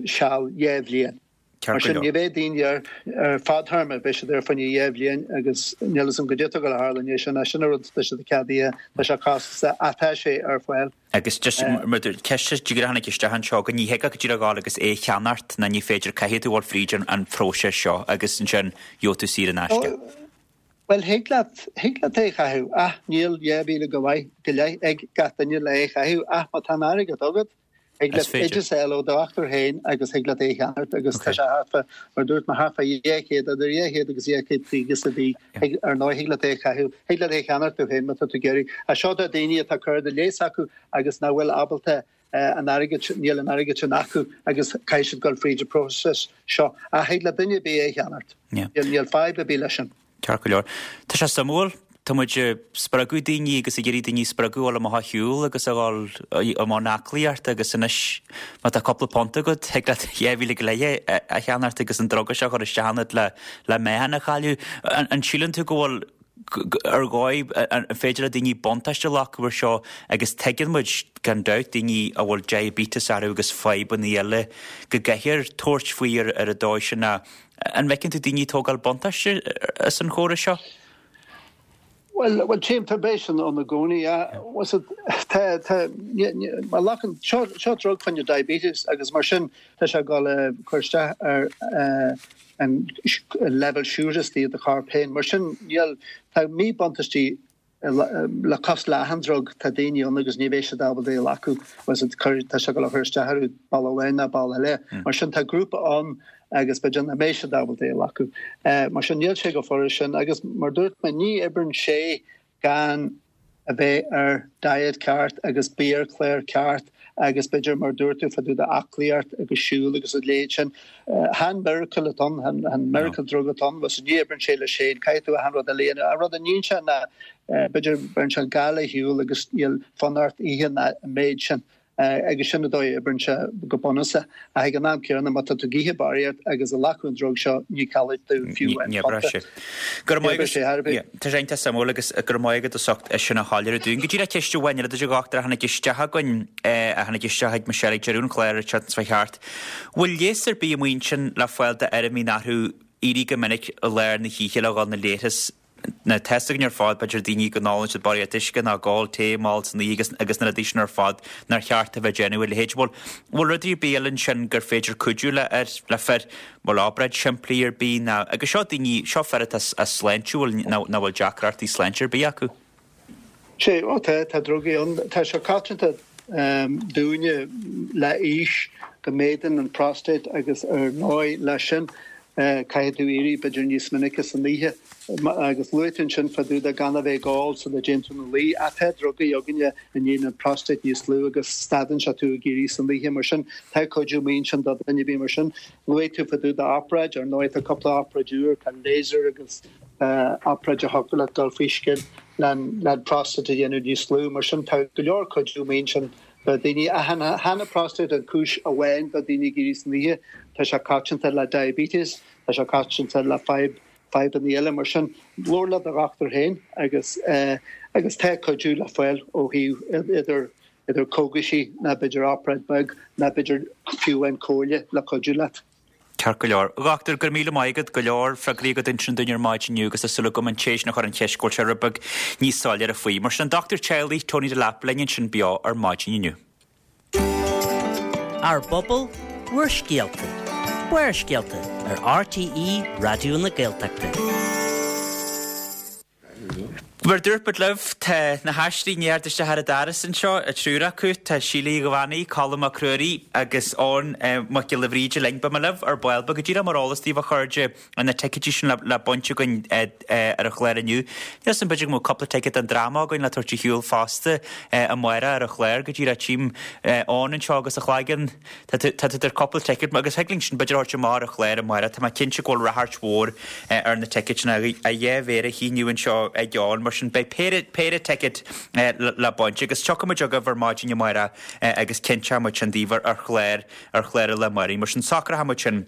seal 2 bhliain. Mar sin, ní bheidh daoine air ar fadthéarma, beidh siad air fá choinne 2 bhliain agus níl fhios agam goidé atá ag dul a tharlú i ndiaidh sin, ach sin an rud tá siad ceadaithe, tá sé costasach ach tá sé ar fáil. Agus just mar dúirt, ceist díreach a tháinig isteach anseo, go ní thig ach go díreach a ghabháil agus é a cheannacht ná ní féidir, caithfidh tú a dhul fríd an phróiseas seo agus ansin gheobhaidh tú saor in aisce. Bhuel, thig leat, thig leat é a chaitheamh ach níl 2,000 go maith, go leith ag gach duine le é a chaitheamh ach má tá an airgead agat, Thig leat oideas a fháil ó do dhochtúir féin agus thig leat é a cheannacht agus tá sé thart fá, mar a dúirt mé, thart fá 200, idir 200 agus 250 sa mhí. Thig, ar ndóigh, thig leat é a chaitheamh, thig leat é a cheannacht tú féin má tá tú ag iarraidh. Ach seo do daoine atá cur de leigheas acu agus nach bhfuil ábalta an airgead sin, níl an airgead sin acu agus caithfidh siad dul fríd an próiseas seo. Ach thig le duine ar bith é a cheannacht. Níl fadhb ar bith leis sin. Ceart go leor. Tá sé suimiúil. Tá muid ag spreagadh daoine agus ag iarraidh daoine a spreagadh a dhul amach ar shiúl agus a dhul i mbun aclaíochta agus anois má tá cúpla punt agat, thig leat 2,000 go leith a cheannacht agus an druga seo a chur isteach ionat le le meáchan a chailleadh. An síleann tú go bhfuil ar dhóigh an féidir le daoine buntáiste a ghlacadh ar seo agus tuigeann muid gan dabht daoine a bhfuil diabetes orthu agus fadhbanna eile go gcaithfear tabhairt faoi ar ar an dóigh sin ach An bhfeiceann tú daoine ag tógáil buntáiste as an chóras seo? Bhuel, bhuel, tchím, tá beidh sin ann i gcónaí. Tá, tá, má ghlacann, seo, seo drug fá choinne diabetes agus mar sin tá sé ag dul a cur isteach ar an leibhéal siúcra istigh i do chorp féin. Mar sin níl, tá míbhuntáistí Le cosúil le achan drug, tá daoine ann agus ní bheidh siad ábalta é a ghlacadh agus tá sé ag dul a chur isteach orthu bealach amháin ná bealach eile. Mar sin tá grúpa ann agus b'fhéidir nach mbeidh siad ábalta é a ghlacadh. Mar sin níl sé chomh furast sin agus mar dúirt mé ní oibreann sé gan a bheith ar diet ceart agus biachlár ceart agus b'fhéidir mar dúirt tú fá dtaobh d'aclaíocht agus siúl agus a leithéid sin. Chan miracle atá ann, chan miracle drug atá ann, agus ní oibreann sé leis féin, caithfidh tú achan rud eile a dhéanamh. An rud a níonn sé ná b'fhéidir beireann sé an gal ar shiúl agus níl fonn ort ithe an méid sin. Agus sin an dóigh a oibreann sé go bunúsach. Ach ag an am céanna má tá tú ag ithe barraíocht agus ag glacadh an drug seo ní chaillfidh tú fiú aon Ní oibreoidh phunta. sé. Go raibh Ní maith oibreoidh sé ar bith. Tá sé iontach suimiúil agus go raibh maith agat as ucht é sin a shoiléiriú dúinn. Go díreach ceist amháin eile duit a dhochtúir a tháinig isteach againn, a tháinig isteach ag Michelle ag deireadh an chláir an tseachtain seo thart. Bhfuil leigheas ar bith amuigh ansin le fáil d'fhear a mbíonn orthu éirí go minic i lár na hoíche le dhul na leithreas? Now tá fhios againn ar fad, b'fhéidir daoine go n-ólann siad barraíocht uisce nó ag ól tae mall san oíche agus agus na rudaí sin ar fad nár cheart a bheith ag déanamh a leithéid. Bhfuil bhfuil rudaí ar bith eile ansin gur féidir cuidiú le ar le fir? Bhfuil obráid simplí ar bith ná agus seo daoine seo fir atá sláintiúil nach bhfuil deacrachtaí sláinte ar bith acu. Sea, ó tá, tá drugaí ann. Tá sé coitianta dúinne le aois go méadaíonn an prostate agus ar ndóigh leis sin caithfidh tú éirí b'fhéidir níos minice san oíche agus luaigh tú ansin fá dtaobh de gan a bheith ag ól sula dtéann tú ina luí. Ach tá drugaí againne a ndéanann an prostate níos lú agus stadann sé tú ag éirí san oíche mar sin tá cuidiú amuigh ansin do dhuine ar bith mar sin. Luaigh tú fá dtaobh d'obráid, ar ndóigh tá cúpla obráid úr, tá laser agus obráid a thiocfadh leat dul faoi scian le an prostate a dhéanamh níos lú. Mar sin tá go leor cuidiú amuigh ansin do dhaoine. Ach chan an prostate an cúis amháin do daoine ag éirí san oíche. Tá sé coitianta le diabetes, tá sé coitianta le fadhb fadhbanna eile. Mar sin labhair le do dhochtúir féin agus agus tá cuidiú le fáil ó thaobh idir idir cógaisí ná b'fhéidir obráid beag ná b'fhéidir fiú amháin comhairle le cuidiú leat. Ceart go leor. A dhochtúir, go raibh míle maith agat. Go leor freagraí agat ansin dúinn ar maidin inniu agus tá súil agam an té sin a chuir an cheist go bhfuil sé rud beag níos soiléire faoi. Mar sin an Dochtúir Teaghlaigh, Tony Delap linn ansin beo ar maidin inniu. Ár bPobal, Bhur Scéalta, Barrscéalta ar RTÉ Raidió na Gaeltachta. Mar a dúirt muid libh, tá na haisteoirí i ndiaidh theacht isteach ar an doras anseo, an triúr acu. Tá Síle Uí Dhomhannaigh, Colm Mac Ruairí agus Eoghan Mac Giolla Bhríde linn. Beidh mé libh ar ball beag, go díreach mar eolas daoibh a chairde, na ticéidí sin le baint againn ar an chlár inniu. Níl 'fhios a'm, b'fhéidir go mbeadh cúpla ticéad don dráma againn le tabhairt ar shiúl fosta amárach ar an chlár, go díreach tchím Eoghan anseo agus a chloigeann. Tá tú tar cúpla ticéad agus thig linn sin b'fhéidir a thabhairt amach ar an chlár amárach. Tá mé cinnte go bhfuil ráchairt mhór ar na ticéid sin, a dhá mhéar á shíniú anseo ag Eoin. Mar sin beidh péire, péire ticéad le baint agus tiocfaidh muid chugaibh ar maidin amárach agus cinnteoidh muid sin daoibh ar chlár, ar chlár an lae amárach. Mar sin socróidh muid sin.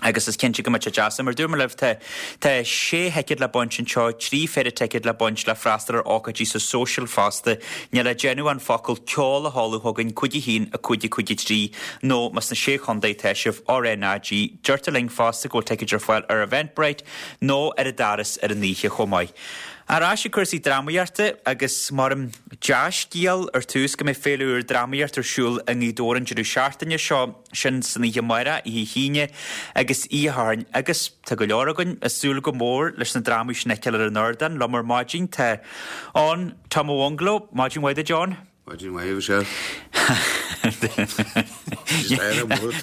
Agus is cinnte go mbeidh sé deas. Mar a dúirt mé libh, tá tá sé thicéad le baint anseo, 3 phéire ticéad le baint le freastal ar ócáidí sa Social fosta. Níl le déanamh ach an focal ceol a sheoladh chugainn, 5 1 5 5 3, nó más sna Sé Chontae atá sibh, RnaG. Deirtear linn fosta go bhfuil ticéid ar fáil ar Eventbrite nó ar an doras ar an oíche chomh maith. Ar ais ag cúrsaí drámaíochta agus mar dea-scéal ar tús go mbeidh féile úr drámaíochta ar siúl i nGaoth Dobhair an deireadh seachtaine seo. Sin san oíche amárach, oíche hAoine agus oíche Shathairn agus tá go leor againn ag súil go mór leis na drámaí sin a fheiceáil ar an ardán. Liom ar maidin tá Eoin Tom Ó Mhunglo. Maidin mhaith duit Eoin. Maidin mhaith a Mhichelle.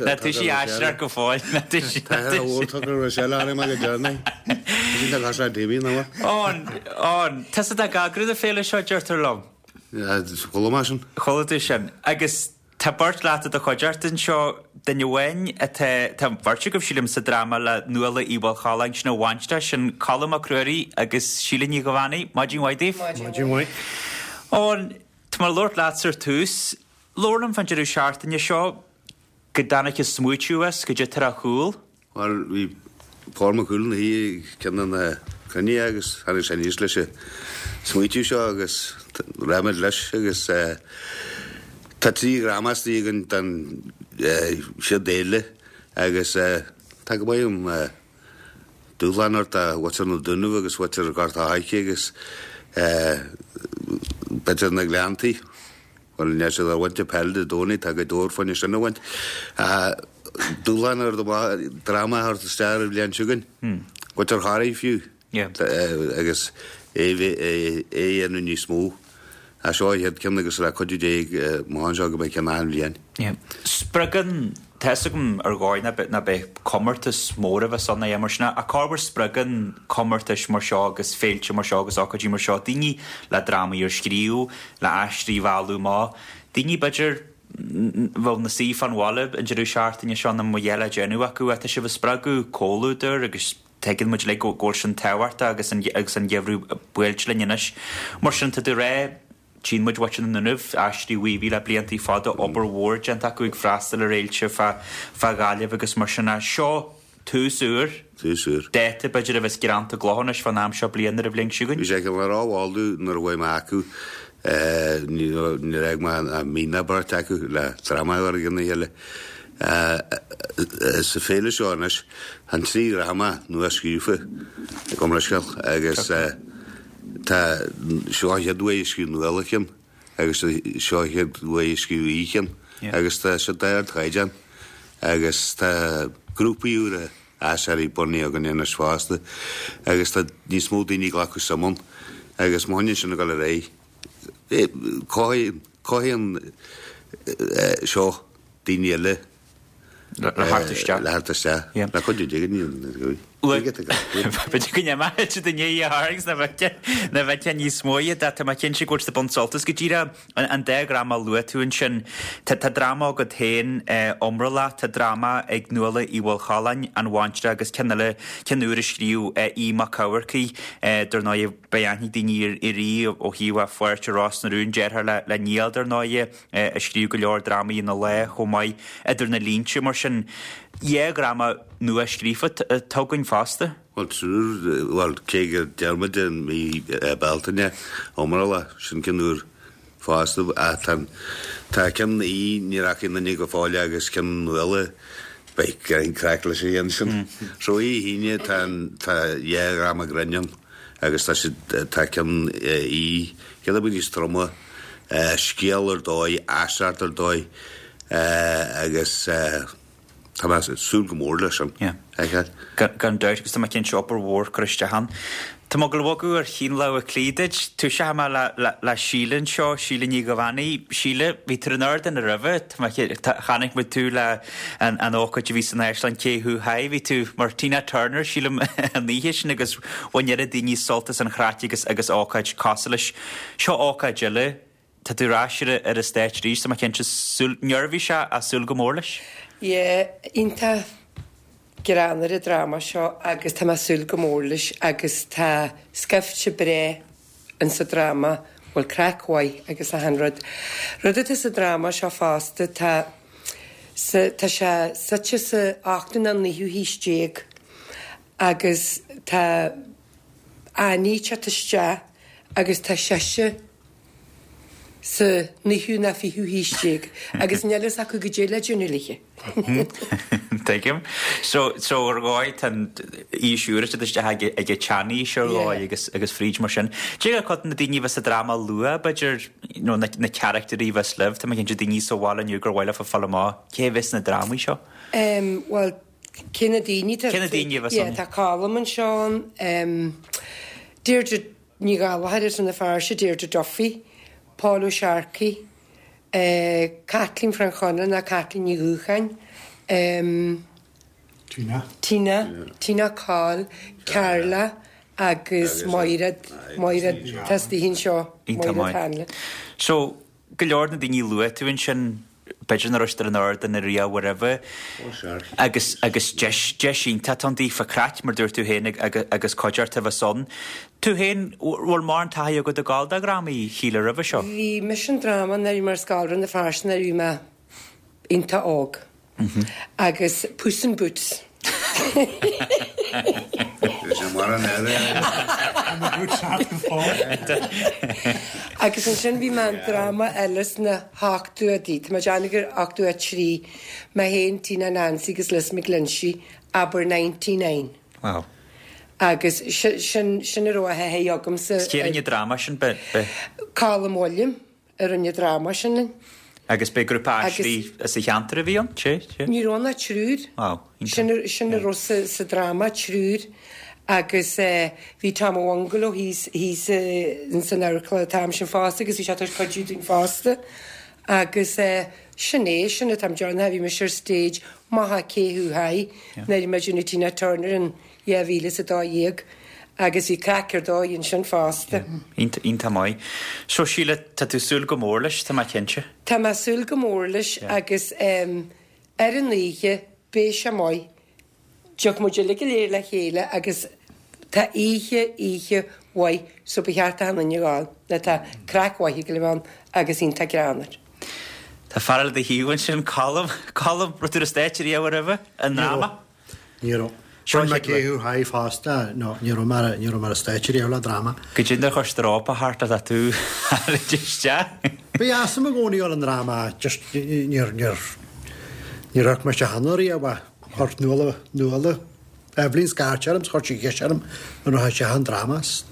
Ná toisigh aisteoireacht go fóill. Tá mhór tugtha Rochelle orm go deireanach. Sin tá cosúil le Damien nó. Eoin, Eoin, tusa atá ag eagrú na féile seo deirtear liom. Chuala mé sin. Chuala tú sin. Agus Tá beirt leat i do chuideachta anseo, duine amháin atá, tá an bheirt agaibh, sílim, sa dráma le Nuala Uí Mhaolchalláin, sin an bhaintreach, sin Colm Mac Ruairí agus Síle Ní Dhuibheannaigh. Maidin mhaith daoibh. Maidin mhaith. Eoin, tá mé ag labhairt leatsa ar tús. Labhair liom fán deireadh seachtaine seo, cá dtáinig an smaoitiú as, goidé atá ar a chúl. Bhuel, bhí Pól Mac Cumhaill ina shuí ag ceann de na cruinnithe agus tháinig sé aníos leis an smaoitiú seo agus raibh muid leis agus tá 3 dhráma istigh againn don chéad fhéile agus tá go maith um dúshlán ort do mhuintir na Dúnaibh agus mhuintir Ghort a' Choirce agus b'fhéidir na Gleanntaí. Bhuel, níl siad ar bhaint na peile Dé Domhnaigh, tá Gaoth Dobhair fá choinne sin a bhaint. Dúshlán ar dráma a thabhairt isteach ar an bhliain seo chugainn. Muintir Thoraí fiú. Agus é a dhéanamh níos mó. Seo an chéad ceann agus le cuidiú Dé amach anseo go mbeidh ceann achan bhliain. Spreagann, tá fhios agam ar dhóigh ná beidh comórtas mór a bheas ann ná mar sin ach corruair spreagann comórtais mar seo agus féilte mar seo agus ócáidí mar seo daoine le drámaí a scríobh, le aisteoirí a mhealladh amach, daoine b'fhéidir bheadh ina suí fán bhaile an deireadh seachtaine seo nach mbeadh a dhath le déanamh acu ach tá sibh ag spreagadh comhluadar agus tuigeann muid uilig go bhfuil sin tábhachtach agus an agus an geimhreadh buailte linn anois. Mar sin tá tú ag rá, tchíonn muid muintir na nDúnaibh, Aisteoirí Mhíobhaigh le bliantaí fada, obair mhór déanta acu ag freastal ar fhéilte fá fá Ghaillimh agus mar sin seo tús úr. Tús úr. Dáta b'fhéidir a bheas greanta i gcloch anois fán am seo bliana ar an bhliain seo chugainn. Bhí sé go rómhall nuair a chuaigh mé acu. Níor fhág mé ach mí ná beirt acu le dráma a chur i gcionn a chéile. Sa féile seo anois, tá an 3 dhráma nua-scríofa gabh mo leithscéal agus tá seo an chéad uair a scríobh Nuala ceann agus seo an chéad uair a scríobh Aodh ceann agus tá siad d'ardchaighdeán agus tá grúpaí úra aisteoirí bunaithe againn anois fosta agus tá níos mó daoine ag glacadh suim ann agus má choinníonn sin ag dul ar aghaidh, cothaíonn seo daoine eile le theacht isteach. Le theacht isteach. Le cuidiú Dé go ndéanfaidh. B'fhéidir go n-imeoidh siad i ndiaidh a tharraingt na bhfeicfeá níos mó iad ach tá mé cinnte go bhfuil siad ag baint sult as go díreach. An dá dhráma a luaigh tú ansin, tá dráma agat féin, Iomrallach, tá dráma ag Nuala Uí Mhaolchalláin, An Bhaintreach, agus ceann eile, ceann úr a scríobh Aodh Mac Eamharcaigh, dar ndóighe, beidh aithne ag daoine ar Aodh ó thaobh a pháirt i Ros na Rún, deartháir le Niall, dar ndóighe, a scríobh go leor drámaí ina lá chomh maith, Idir na Línte, mar sin, dhá dhráma nua-scríofa atá againn fosta. Bhuel, triúr, bhuel, cé gur deir muid i mí Bealtaine, Iomrallach, sin ceann úr fosta, ach tá, tá ceann Aoidh, ní rachaidh aon duine go fóill agus ceann Nuala, beidh greim craic leis an gceann sin. So oíche hAoine tá an, tá dhá dhráma grinn ann agus tá siad, tá ceann Aoidh, ceann a bheidh níos troma, scéal ar dóigh, aisteoireacht ar dóigh agus. Tá mé ag súil go mór leis sin a fheiceáil. Gan dabht, agus tá mé cinnte obair mhór curtha isteach ann. Tá mé ag dul a bhogadh ar chinn Lámha Cliath duit. Toiseoidh mé le Síle anseo, Síle Ní Dhuibheannaigh. Síle, bhí tú ar an ardán roimhe, chonaic muid tú le an ócáid a bhí san Áislann Cé Thú Haigh, bhí tú mar Tina Turner, sílim, an oíche sin agus bhain oiread daoine sult as an chraic agus agus ócáid cosúil leis. Seo ócáid eile. Tá tú ar ais ar an stáitse arís, tá mé cinnte, súil, neirbhíseach ach súil go mór leis. Yeah, iontach greannmhar an dráma seo agus tá mé ag súil go mór leis agus tá scaifte breá insa dráma, bhfuil craic mhaith agus achan rud. Rud atá sa dráma seo fosta, tá. Sa, tá sé suite sa ochtú nó naoú haois déag agus tá Annie ag teacht isteach agus tá sise sa naoú nó fichiú haois déag agus níl fhios acu goidé le déanamh léithe. Tuigim. So, so ar dhóigh tá an aois úr ag teacht isteach ag ag an tseanaois ar dhóigh agus agus fríd mar sin. Cé hiad cuid de na daoine a bheas sa dráma a luadh, b'fhéidir, you know, na na carachtairí a bheas libh, tá mé cinnte daoine sa bhaile inniu gur mhaith leofa fáil amach cé a bheas sna drámaí seo. Em, bhuel, cé na daoine tá Cé na daoine a bheas Yeah, ann? tá Colm anseo ann, em, Deirdre Ní Ghallchóir as Rann na Feirste, Deirdre Duffy, Paul Ó Searcaigh, eh, Caitlín Frainc Chonaill ná Caitlín Ní Dhúcháin, em, Tina. Tina, Tina Coll, Carla agus Máire, Máire tá istigh anseo, Iontach Máire maith. Hanlon. So, go leor de na daoine a luaigh tú ansin, b'fhéidir nach raibh siad ar an ardán ariamh roimhe agus agus deis deis iontach atá ann daofa craic mar dúirt tú féin agus cuideachta a bheas ann. Tú féin, bhfuil mórán taithí agat ag gabháil do dhrámaí, Shíle, roimhe seo? Bhí mise i ndráma nuair a bhí mé ar scoil Rann na Feirste nuair a bhí mé iontach óg. Agus Puss in Boots. Agus ansin bhí mé i ndráma eile sna hochtóidí, tá mé ag déanamh gur 83, mé féin, Tina Nancy agus Liz McGlinchey, Abair 99. Wow. Agus sin sin a raibh de thaithí agamsa. Is cé a rinne an dráma sin? Be, be. Colm William. a rinne an dráma sin linn. Agus b'é grúpa aisteoirí as an cheantar a bhí ann? Sé, sé. Ní raibh ann ach triúr. Wow, iontach. Sin, sin a raibh sa, sa dráma, triúr. Agus eh, bhí Tom Ó Bhungalo thíos, thíos eh, ins an amharclann an t-am sin fosta agus bhí sé tar éis cuidiú dúinn fosta. Agus eh, sin é, sin atá mé ag déanamh, bhí mise ar stage, maith a cé thú hi, nuair a bhí mé ag déanamh Tina Turner in 2012 agus bhí craic ar dóigh ansin fosta. Iontach maith. So Síle, tá tú súil go mór leis, tá mé cinnte. Tá mé súil go mór leis agus ar an oíche beidh sé maith. Tiocfaidh muid uilig go léir le chéile agus tá oíche, oíche mhaith so ba cheart d'achan duine a ghabháil nó tá craic mhaith ag gabháil a bheith ann agus iontach greannmhar. Tá fear eile do thaobh ansin, Colm. Colm, raibh tú ar an stáitse riamh roimhe, i ndráma? Ní raibh. Bhain mé Cé Thú Hi fosta, no, ní raibh mé ar, ní raibh mé ar an stáitse riamh le dráma. Goidé nár chuir strópa thart le tú a tharraingt isteach. Ba dheas liom i gcónaí dul i ndráma, just níor, níor, níor amharc mé isteach ann riamh ach chuir Nuala, Nuala, Eibhlín scairt orm 's chuir sí ceist orm an rachadh isteach i ndráma 's.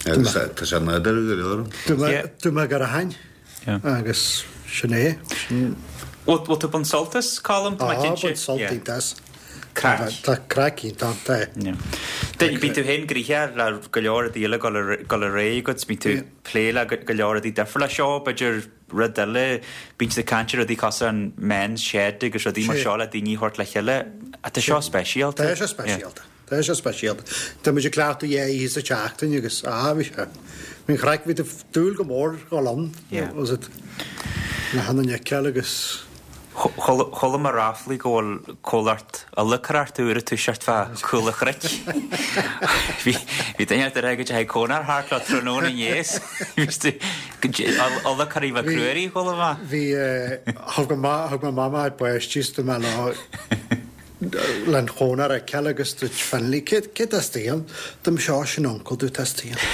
Agus tá sé nádúrtha go leor. Dúirt mé go rachainn. Agus sin é. Sin. Bhfuil tú ag baint sult as, Colm? Tá mé cinnte. Á, baint sult iontach as. Craic. Tá craic iontach ann, tá. Bíonn tú féin gnoitheach le go leor rudaí eile ag dul ar aghaidh agat, bíonn tú ag plé le go leor rudaí difriúla. Seo, b'fhéidir, rud eile, bíonn siad ag caint ar rudaí cosúil an Men's Shed agus rudaí mar seo le daoine a thabhairt le chéile. Tá seo speisialta. Tá seo speisialta. Tá sé speisialta. Tá muid ag cleachtadh dhá oíche sa tseachtain agus, ah, bhí sé, bhí an chraic, bhí tú ag dúil go mór dhul ann, was it, le hAnna Nic Eil agus. Chuala mé ráflaí go bhfuil comhlacht olagthóireachta úr ag toiseacht fá Chúl an Chnoic. Bhí duine ort a rá go dteachaigh cónár thart leo tráthnóna inné is bhí tú Olagthóirí Mhic Ruairí, chuala mé. Bhí, thug mo mama báistí is do mé leo. Len chónair a fheiceáil agus dúirt Finlay, cé cé tá istigh ann? Dúirt mise, Ó, sin uncail duit atá istigh ann.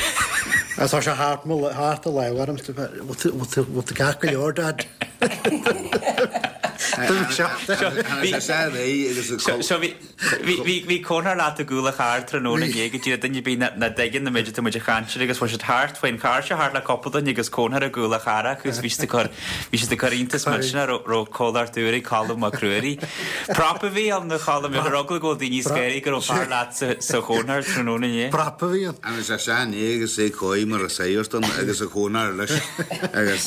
Agus tá sé thart mo thart a lámh orm, bhfuil tú bhfuil tú bhfuil tú ceart go leor, Dad? Dúirt mise, Bhí sé sa réidh agus a So so bhí bhí bhí bhí cónár leat i gcúl an chairr tráthnóna inné go dtí duine ar bith nach nach dtuigeann an méid atá muid a chaint air agus bhí siad thart faoin charr seo thart le cúpla duine agus cónár i gcúl an charr acu agus bhí siad ag cur Bhí siad ag cur iontas millteanach raibh comhlacht úr ag Colm Mac Ruairí. Prop a bhí ann, a Choilm, ar eagla go bhfuil daoine scanraithe go raibh fear leat sa chónár tráthnóna inné. Prop a bhí ann. Agus é sean é agus é cóí mar a saghart ann agus a chónár leis agus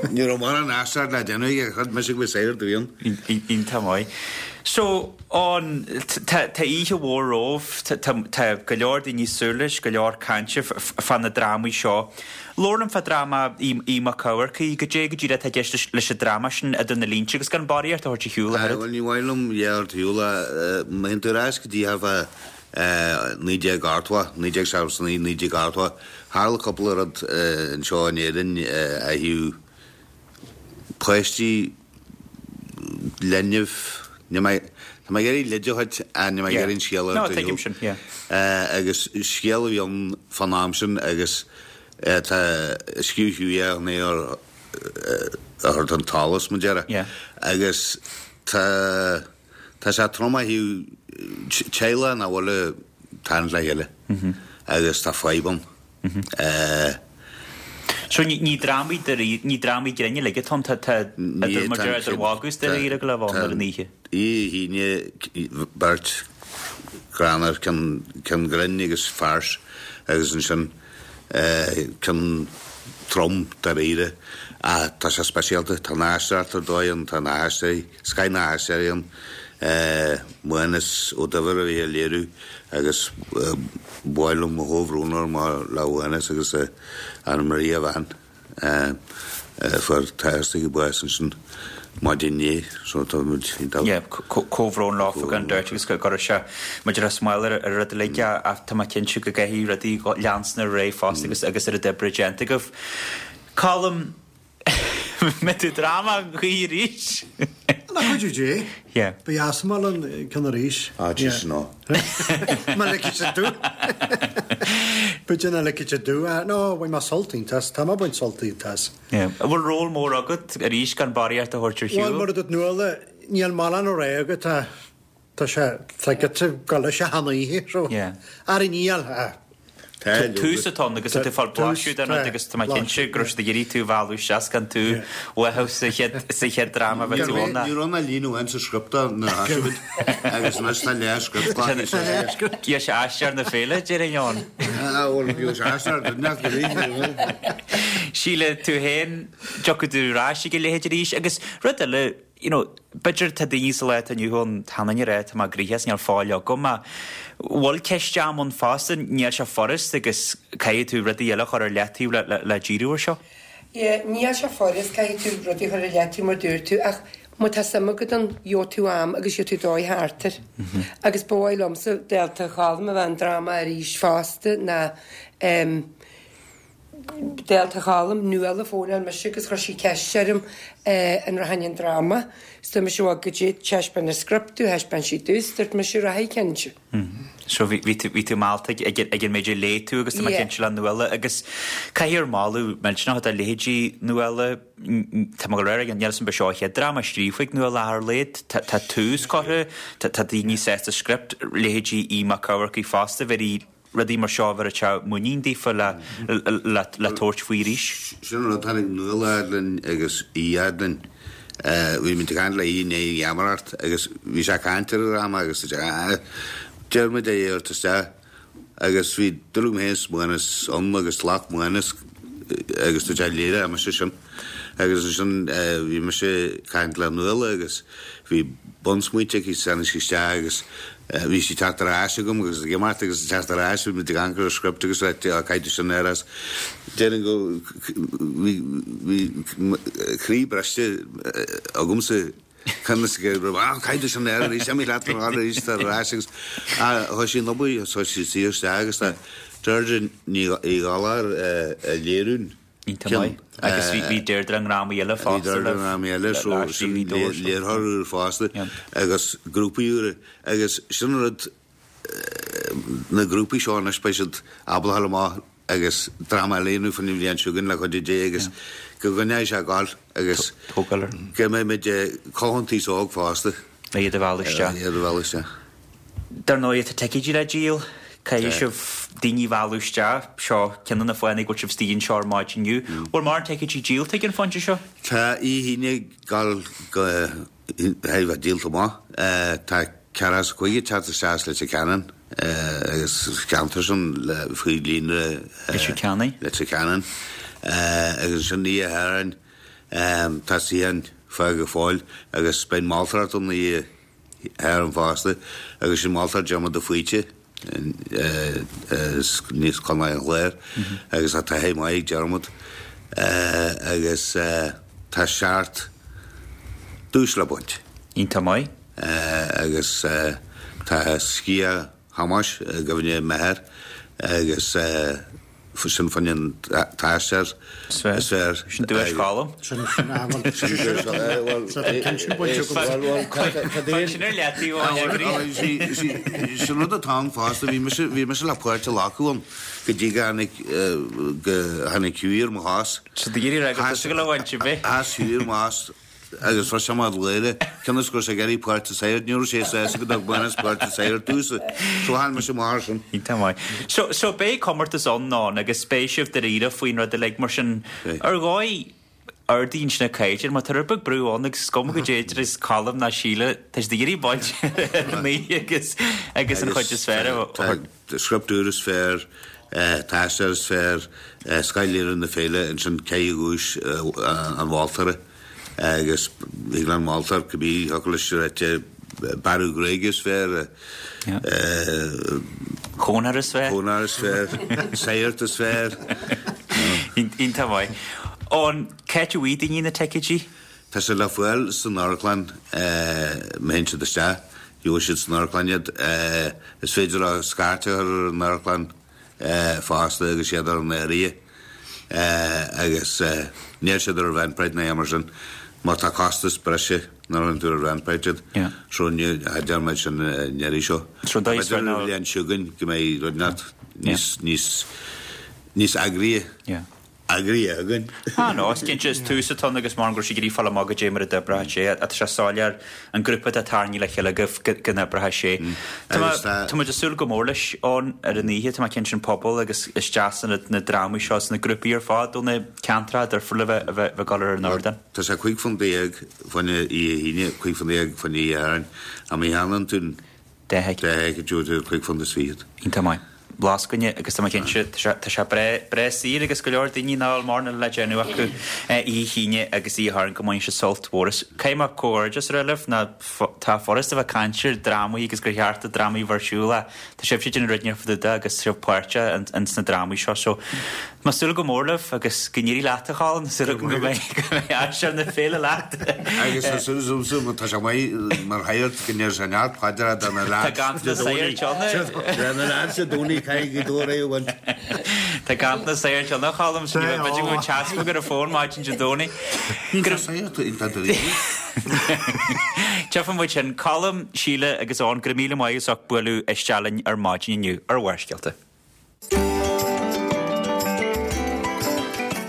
ní raibh mórán aisteoireacht le déanamh aige, chreid mise go bhfuil saghart a bhí ann. Iontach maith. So, an, tá oíche mhór romhaibh, tá go leor daoine ag súil leis, go leor cainte fá na drámaí seo. Labhair liom fá dráma Uí Mac Eamharcaigh, goidé go díreach atá i gceist leis an dráma sin idir na línte agus gan barraíocht a thabhairt ar shiúl ach oiread. Bhuel, ní mhaith liom a dhath a thabhairt ar shiúl ach má théann tú ar ais go dtí thart fá 1980, 1979, 1980, tharla cúpla rud anseo in Éirinn ó thaobh páistí. linbh, níl mé, tá mé ag iarraidh leid a thabhairt ach níl mé ag iarraidh an scéal a No, tuigim sin, yeah. Agus scéal a bhí ann fán am sin agus tá scríobh Hughie é chun é a thabhairt don tsolas, mar a déarfá. Yeah. Agus tá, tá sé trom ó thaobh teaghlach nach bhfuil ag tarraingt le chéile agus tá fadhb ann. So ní drámaí dáiríre, ní drámaí grinn uilig atá ann, tá idir mar deir idir mhagadh is dáiríre go leith ann ar an oíche. Oíche hAoine beirt greannmhar, ceann ceann grinn agus farce agus ansin ceann trom dáiríre ach tá sé speisialta, tá an aisteoireacht ar dóigh ann, tá na haisteoirí, scoth na haisteoirí ann. Mánas Ó Duibhir a bhí á léiriú agus ba mhaith liom mo chomhbhrón a rá le Mhánas agus Anna Marie a bhean a fuair teastaigh bás ansin maidin inné so tá muid ag Yeah, comhbhrón leofa gan dabht agus go raibh sé maidir le smál ar an rud uilig ach tá mé cinnte go gcaithfidh rudaí leanstan ar aghaidh fosta agus agus oiread oibre déanta agaibh. Colm, Mbeidh tú dráma choíche arís? Le cuidiú Dé. Yeah. Ba dheas an mol an ceann arís. Ah, jeez, no. Má ligfidh siad domh. B'fhéidir nach ligfidh siad domh. Ah, no, bhain mé sult iontach as. Tá mé ag baint sult iontach as. Yeah. An bhfuil ról mór agat arís gan barraíocht a thabhairt ar shiúl? Bhuel, mar a dúirt Nuala, níl mórán á rá agat. Tá Tá sé, tá giota ag dul leis achan oíche, so. Yeah. Ar an iall, ah. Tá leoga. Tús atá ann agus tá tú ag fáil blaiseadh den rud agus tá mé cinnte go raibh siad ag iarraidh tú a mhealladh isteach gan tú uathu sa chéad, sa chéad dráma a bheith tú ann. Ní raibh ach líne amháin sa script nuair a thosaigh muid agus anois tá leath-script glactha sa Bhí sé aisteoir na féile, déarfainn ann. Ah, bhuel, bhí sé aisteoir, didn't it, really, you know. Síle, tú féin, dtiocfaidh tú ar ais ag a leithéid arís agus rud eile, you know, b'fhéidir tá daoine sa lá atá inniu ann, tá an rá, tá mé gnoitheach is níl faill agam, ach bhfuil ceist ama ann fosta, níl sé furast agus caithfidh tú rudaí eile a chur ar leataobh le, le, le díriú ar seo. Yeah, níl sé furast, caithfidh tú rudaí a chur ar leataobh mar dúirt tú, ach má tá suim agat ann, gheobhaidh tú am agus gheobhaidh tú dóigh thart air. Agus ba mhaith liomsa, dálta Cholm a bheith an dráma arís fosta ná em, Dálta Cholm, Nuala fónáil mise agus chuir sí ceist orm an rachainn an dráma. 'S dúirt mise bhuel goidé thaispeáin an script domh, thaispeáin sí domh 's dúirt mise rachainn cinnte. So bhí, bhí tú, bhí tú meallta ag, ag an méid a léigh tú agus tá mé cinnte le Nuala agus caithfidh gur moladh millteanach do leithéidí Nuala, tá mé ag rá níl 'fhios a'm ab é seo an chéad dráma scríofa ag Nuala ach ar a laghad, tá, tá tús curtha, tá, tá daoine sásta script, leithéidí Aodh Mac Eachmharcaigh fosta, bhí rudaí mar seo a bhéarfadh muinín daofa le le tabhairt faoi arís. Sin an rud, tháinig Nuala fhad linn agus Aodh fhad linn. Bhí muid ag caint le Aodh i ndiaidh an gheamaireacht agus bhí sé ag caint ar an dráma agus dúirt sé, ah, deir muid é a thabhairt isteach agus bhí dúil agam féin is Mánas ann agus ghlac Mánas agus dúirt sé léireoidh mise sin. Agus ansin bhí mise ag caint le Nuala agus bhí bunsmaointe aici, tháinig sí isteach agus Bhí sí ag teacht ar ais agam agus ag imeacht agus ag teacht ar ais, bhí muid ag amharc ar an script agus á caithfidh tú sin a rá. Déarfainn go bhí bhí croí briste agamsa conas go raibh á caithfidh tú sin a rá arís, imigh leat ar arís ar ais agus thosaigh sí an obair, thosaigh sí suí isteach agus tá Deirdre Ní Ghallchóir ag léiriú. Iontach maith. Agus bhí Deirdre i ndrámaí eile fosta. Bhí Deirdre i ndrámaí eile, so sin léiritheoir úr fosta agus grúpaí úra. Agus sin an rud, na grúpaí seo anois beidh siad ábalta a dhul amach agus dráma eile a dhéanamh faoin bhliain seo chugainn le cuidiú Dé agus go gcoinneoidh sé ag gabháil agus go mbeidh muid ag cothú an t-aos óg fosta. Le iad a mhealladh isteach. Le iad a mhealladh isteach. Dar ndóigh, tá ticéidí le díol. Caithfidh sibh daoine a mhealladh isteach. Seo ceann de na fáthanna go bhfuil sibh istigh anseo ar maidin inniu. Bhfuil mórán ticéidí díolta ag an phointe seo? Tá Oíche Aoine ag gabháil go haghaidh bheith díolta amach. Tá 45 ag teacht isteach as Leitir Ceanainn agus sa cheantar sin le faoi líonra Leitir Ceanainn. Leitir Ceanainn. Agus ansin Oíche Shathairn tá suíocháin fágtha go fóill agus beidh an mholtóireacht ann Oíche Shathairn fosta agus sin moltóir Diarmuid de Faoite as Contae an Chláir agus tá taithí maith ag Diarmuid agus tá seacht duais le baint. Iontach maith. Agus tá sciath Thomáis i gcuimhne m'athair agus. Sin fá choinne an t-aisteoir is fearr. Sin duais Cholm. Sin sin sin bainte agam. Sin ar leataobh ó eagraí. Sin rud atá ann fosta, bhí mise bhí mise le páirt a ghlacadh ann go dtí go tháinig go tháinig Hughie ar mo chás. So d'iarraidh rá go tusa go raibh baint ar bith. Sheas Hughie ar mo chás Agus bhris sé amach ag gáire, cionn is go raibh sé ag iarraidh páirt an tsagairt, ní raibh sé sásta go dtug Manus páirt an tsagairt domhsa. So sheol mise amach air sin. Iontach maith. So, so beidh comórtas ann ann agus beidh sibh dáiríre faoin rud uilig mar sin ar dhóigh ardaíonn sin na caighdeáin má tá rud beag brú ann agus is cuma goidé is Colm ná Síle, tá siad ag iarraidh baint ar an oíche agus agus an chuid is fearr a thabhairt. Script úr is fearr, t-aisteoir is fearr, scoth-léiriú na féile, ansin caithfidh duais an mholtóra agus thig le an moltóir cibé thiocfadh leis a ráite bearradh gruaige is fearr, Cónóir is fearr. Cónóir is fearr, sagart is fearr. Iontach maith. Eoin, c'áit a bhfaighidh daoine na ticéidí? Tá siad le fáil san amharclann má théann siad isteach. Gheobhaidh siad san amharclann iad. Is féidir leo scairt a chur ar an amharclann fosta agus iad ar an áirithe agus níl siad ar Eventbrite ná aon mar sin mar tá costas breise nuair a chuireann tú ar Eventbrite iad. So ní deir muid sin an iarraidh seo. B'fhéidir an bhliain seo chugainn go mbeidh rud inteacht níos níos níos eagraithe. Eagraithe againn. Ah no, is cinnte, is tús atá ann agus mar go raibh sé ag iarraidh fáil amach goidé mar a d'oibreodh sé. Tá sé soiléir an grúpa atá tarraingthe le chéile agaibh go n-oibreoidh sé. Tá mé, tá muid ag súil go mór leis ann ar an oíche, tá mé cinnte an pobal agus is deas na na drámaí seo is na grúpaí ar fad ó na ceantracha difriúla a bheith a bheith ag dul ar an ardán. Tá sé £15 fá choinne oíche Aoine, £15 fá choinne oíche Shathairn, ach má cheannaíonn tú an 10 thicéad. 10 thicéad, £25. Iontach maith. Blas againne agus tá mé cinnte, tá sé, tá sé breá, breá saor agus go leor daoine nach bhfuil mórán eile le déanamh acu oíche Aoine agus oíche Shathairn go mbainfidh siad sult mhór as. Caithfidh mé comhghairdeas a rá libh ná tá furasta a bheith ag caint ar drámaí agus gur cheart do drámaí a bheith ar siúl ach tá sibhse ag déanamh rud inteacht fá dtaobh de agus sibh páirteach ins na drámaí seo so Tá mé ag súil go mór libh agus go n-éirí leat a Cholm, tá súil agam go mbeidh go mbeidh aisteoir na féile leat. Agus tá súil agamsa má tá sé maith mar shagart go ndéarfaidh sé neart paidreacha do na Tá ganntanas sagairt ann. Do na lads Dé Domhnaigh caithfidh Gaoth Dobhair é a bhaint. Tá ganntanas sagairt ann a Cholm, so ní bheidh b'fhéidir go bhfuil teaspag ar an bhfón maidin Dé Domhnaigh. Tá sagart iontach dáiríre. Tchífidh muid sin. Colm, Síle agus Eoin, go raibh míle maith as ucht bualadh isteach linn ar maidin inniu ar Bharrscéalta.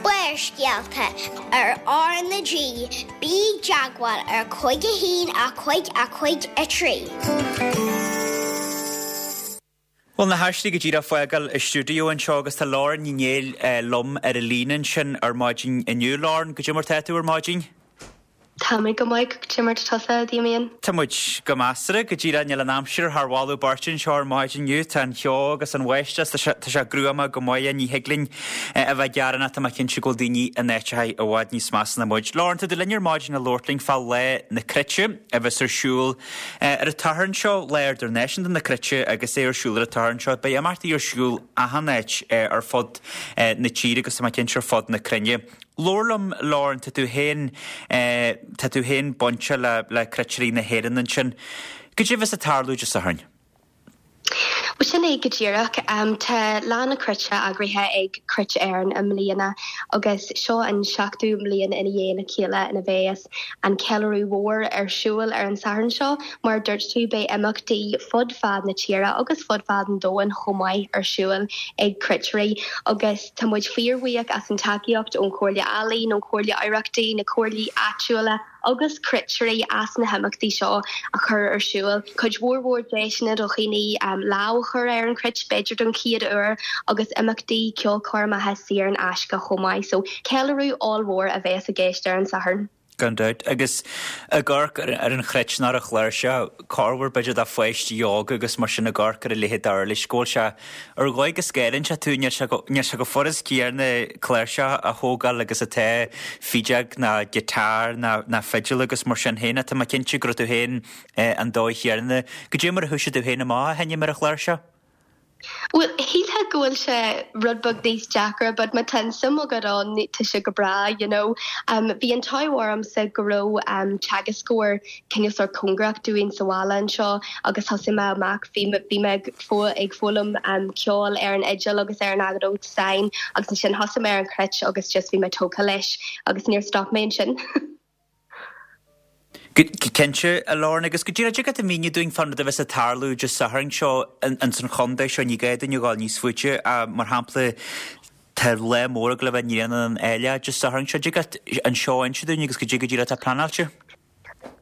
Barrscéalta ar R na G, bí i dteagmháil ar 5 1 5 5 3. Bhuel, na haisteoirí go díreach fágáil an stiúideo anseo agus tá Lauren Ní Néill liom ar an líne ansin ar maidin inniu. Lauren, goidé mar tá tú ar maidin? Tá mé go maith, goidé mar tá tusa, a Damien? Tá muid go measartha, go díreach. Níl an aimsir thar mholadh beirte anseo ar maidin inniu. Tá an cheo agus an bháisteach, tá sé, tá sé gruama go maith. Ní thig linn a bheith ag gearán ach tá mé cinnte go bhfuil daoine in áiteacha i bhfad níos measa ná muid. Lauren, tá tú linn ar maidin le labhairt linn fá Lá na Cruite a bheas ar siúl ar an tSatharn seo, Lá Idirnáisiúnta na Cruite agus é ar siúl ar an tSatharn seo. Beidh imeachtaí ar siúl achan áit ar fud na tíre agus tá mé cinnte ar fud na cruinne. Labhair liom, Lauren, tá tú féin, tá tú féin bainte le, le Cruitirí na hÉireann ansin. Goidé a bheas ag tarlú Dé Sathairn? Bhuel, sin é go díreach. Tá Lá na Cruite eagraithe ag Cruit Éireann i mbliana agus seo an seachtú mbliain ina dhiaidh a chéile ina bheas an ceiliúradh mhór ar siúl ar an Satharn seo. Mar a dúirt tú, beidh imeachtaí fud fad na tíre agus fud fad an domhain chomh maith ar siúl ag cruitirí agus Tá muid fíorbhuíoch as an tacaíocht ón Chomhairle Ealaíon, ón Chomhairle Oidhreachtaí, na comhairlí áitiúla agus cruitirí as na himeachtaí seo a chur ar siúl. Cuid mhór mhór deiseanna do dhaoine lámh a chur ar an chruit, b'fhéidir don chéad uair, agus imeachtaí ceolchoirmeacha saor in aisce chomh maith. So, ceiliúradh ollmhór a bheas i gceist ar an Satharn. Gan dabht. Agus ag amharc ar an chruit nó ar an chláirseach, corruair b'fhéidir do pháistí óga agus mar sin ag amharc ar a leithéid d'uirlis, go bhfuil sé ar dhóigh go scanraíonn sé tú, níl sé go, níl sé chomh furast céanna cláirseach a thógáil agus atá fideog ná guitar ná, ná fidil agus mar sin féin. Tá mé cinnte go raibh tú féin an dóigh chéanna. Goidé mar a thoisigh tú féin amach a sheinm ar an chláirseach? Bhuel, shílfeá go bhfuil sé rud beag níos deacra but má tá an suim agat ann, tá sé go breá, you know. Bhí an t-ádh ormsa go raibh teagascóir cineál sórt cóngarach dúinn sa bhaile anseo agus thosaigh mé amach, bhí bhí mé ag ag foghlaim ceoil ar an fhidil agus ar an fheadóg stáin agus ansin thosaigh mé ar an chruit agus just bhí mé tógtha leis agus níor stop mé ansin. Cinnte, a Lauren, agus go díreach, dtig leat a mhíniú dúinn fán rud a bheas ag tarlú Dé Sathairn seo ins an chontae seo, ní gá dúinn a ghabháil níos faide, mar shampla, tá lá mór ag gabháil a bheith i nGrianán an Áileach Dé Sathairn seo, dtig leat an seó a inse dúinn agus goidé go díreach atá pleanáilte?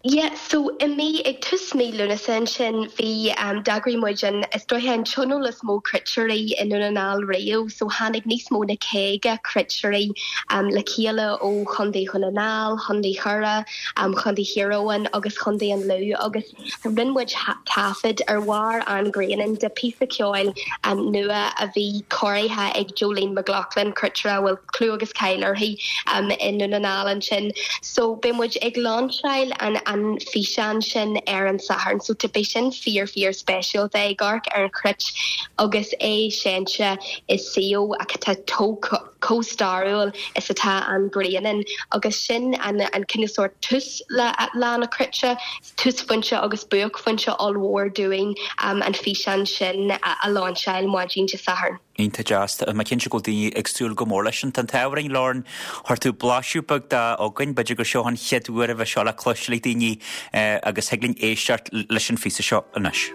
Yeah, so i mí, ag tús mí Lúnasa ansin, bhí, d'eagraigh muid an, is dóiche an tionól is mó cruitirí i nDún na nGall riamh, so tháinig níos mó na 50 cruitirí le chéile ó Chontae Dhún na nGall, Chontae Choire, Chontae Thír Eoghain agus Chontae an Lú agus rinne muid taifead ar bharr an Ghrianáin de phíosa ceoil nua a bhí cóirithe ag Jolene McLaughlin, cruitire a bhfuil clú agus cáil uirthi i nDún na nGall ansin. So beidh muid ag lainseáil an an físeán sin ar an Satharn so beidh sin fíor fíor speisialta ag amharc ar an chruit agus é seinnte i suíomh atá chomh stairiúil is atá an Grianán agus sin an an cineál sórt tús le Lá na Cruite, túsphointe agus buaicphointe ollmhór dúinn an físeán sin a lainseáil maidin Dé Sathairn. Iontach deas. Tá mé cinnte go bhfuil daoine ag súil go mór leis sin. Tá an t-ádh orainn, Lauren, chuir tú blaiseadh beag de chugainn. B'fhéidir gur seo an chéad uair a bheidh seo le cloisteáil ag daoine agus thig linn éisteacht leis an phíosa seo anois.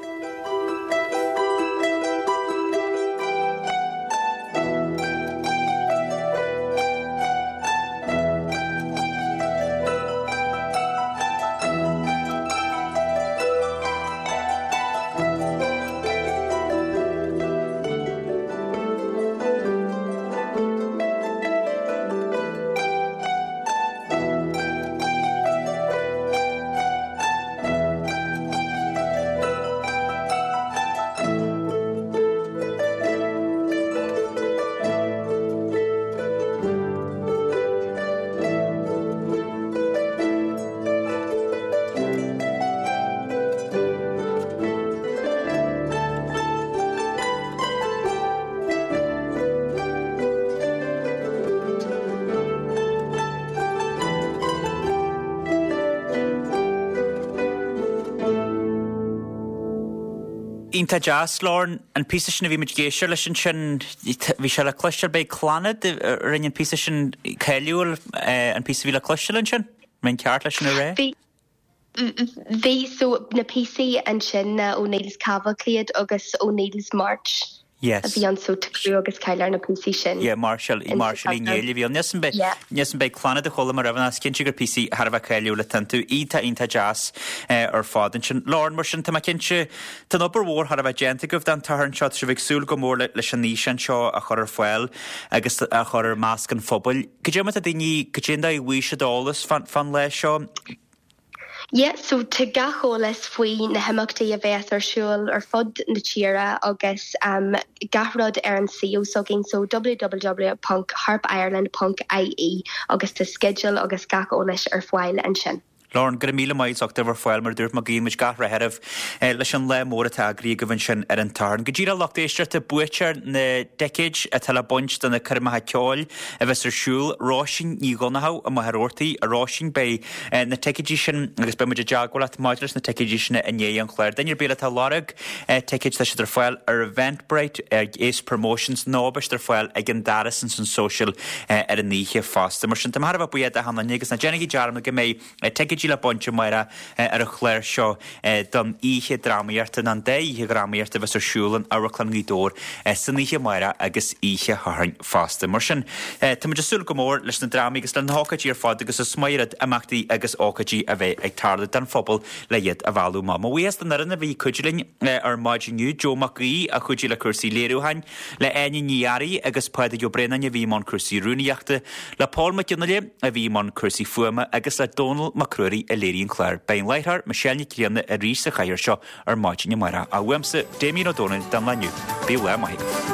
Iontach deas, Lauren. An píosa sin a bhí muid ag éisteacht leis ansin, bhí sé le cloisteáil, b'é Clannad a rinne an píosa sin cáiliúil, an píosa a bhí le cloisteáil ansin? An mbeinn ceart leis sin a rá? Bhí. Bhí, so na píosaí ansin ná O'Neill's Cavalcade agus O'Neill's March Yes. a bhí ann so tá clú agus cáil ar na píosaí sin. Yeah, Máirseáil, Máirseáil Uí Néill a bhí ann. Níl 'fhios Yeah. níl 'fhios an b'é Clannad a chuala mé roimhe ach is cinnte gur píosaí thar a bheith cáiliúil atá iontu. Iontach, iontach deas ar fad ansin. Lauren, mar sin, tá mé cinnte, tá an obair mhór thar a bheith déanta agaibh don tSatharn seo, tá sibh ag súil go mór leis an fhíseán seo a chur ar fáil agus a chur ar measc an phobail. Goidé mar tá daoine, goidé an dóigh a bhfaighidh siad eolas fán lá seo? Yeah, so tá gach eolas faoi na himeachtaí a bheas ar siúl ar fud na tíre agus gach rud ar an suíomh s'againn, so www ponc harpireland ponc ie agus tá sceideal agus gach eolais ar fáil ansin. Lauren, go raibh míle maith as ucht a bheith ar fáil, mar a dúirt mé, guíonn muid gach rath oraibh leis an lá mór atá eagraithe agaibh ansin ar an tSatharn. Go díreach, lucht éisteachta, buaiteoir na dticéid atá le baint do na coirmeacha ceoil a bheas ar siúl, Róisín Ní Dhonnchadha i Machaire Rabhartaigh. A Róisín, beidh na ticéidí sin agus beidh muid i dteagmháil leat maidir leis na ticéidí sin i ndiaidh an chláir. Duine ar bith eile atá ag lorg ticéid, tá siad ar fáil ar Eventbrite, ag Ace Promotions nó beidh siad ar fáil ag an doras ins an Social ar an oíche fosta. Mar sin, tá mé thar a bheith buíoch d'achan duine agus ná déanaigí dearmad go mbeidh ticéidí le baint amárach ar an chlár seo don oíche drámaíochta, nó an dá oíche dhrámaíochta a bheas ar siúl in Amharclann Ghaoth Dobhair san oíche amárach agus oíche Shathairn fosta. Mar sin, tá muid ag súil go mór leis na drámaí agus leis na hócáidí ar fad agus is maith an rud imeachtaí agus ócáidí a bheith ag tarlú don phobal le iad a mhealladh amach. Mo bhuíochas don fhoireann a bhí ag cuidiú linn ar maidin inniu, Joe Mac Aoidh a chuidigh le cúrsaí léiriúcháin, le Áine Ní Fhearraigh agus Pádraig Ó Braonáin a bhí i mbun cúrsaí rúnaíochta, le Pól Mac Fhionnghaile a bhí i mbun cúrsaí fuaime agus le Dónal Mac Ruairí a léirigh an clár. Beidh an láithreoir, Michelle Nic Grianna arís sa chathaoir seo ar maidin amárach. Uaimse, Damien Ó Dónaill, don lá inniu. Bíodh lá maith agaibh.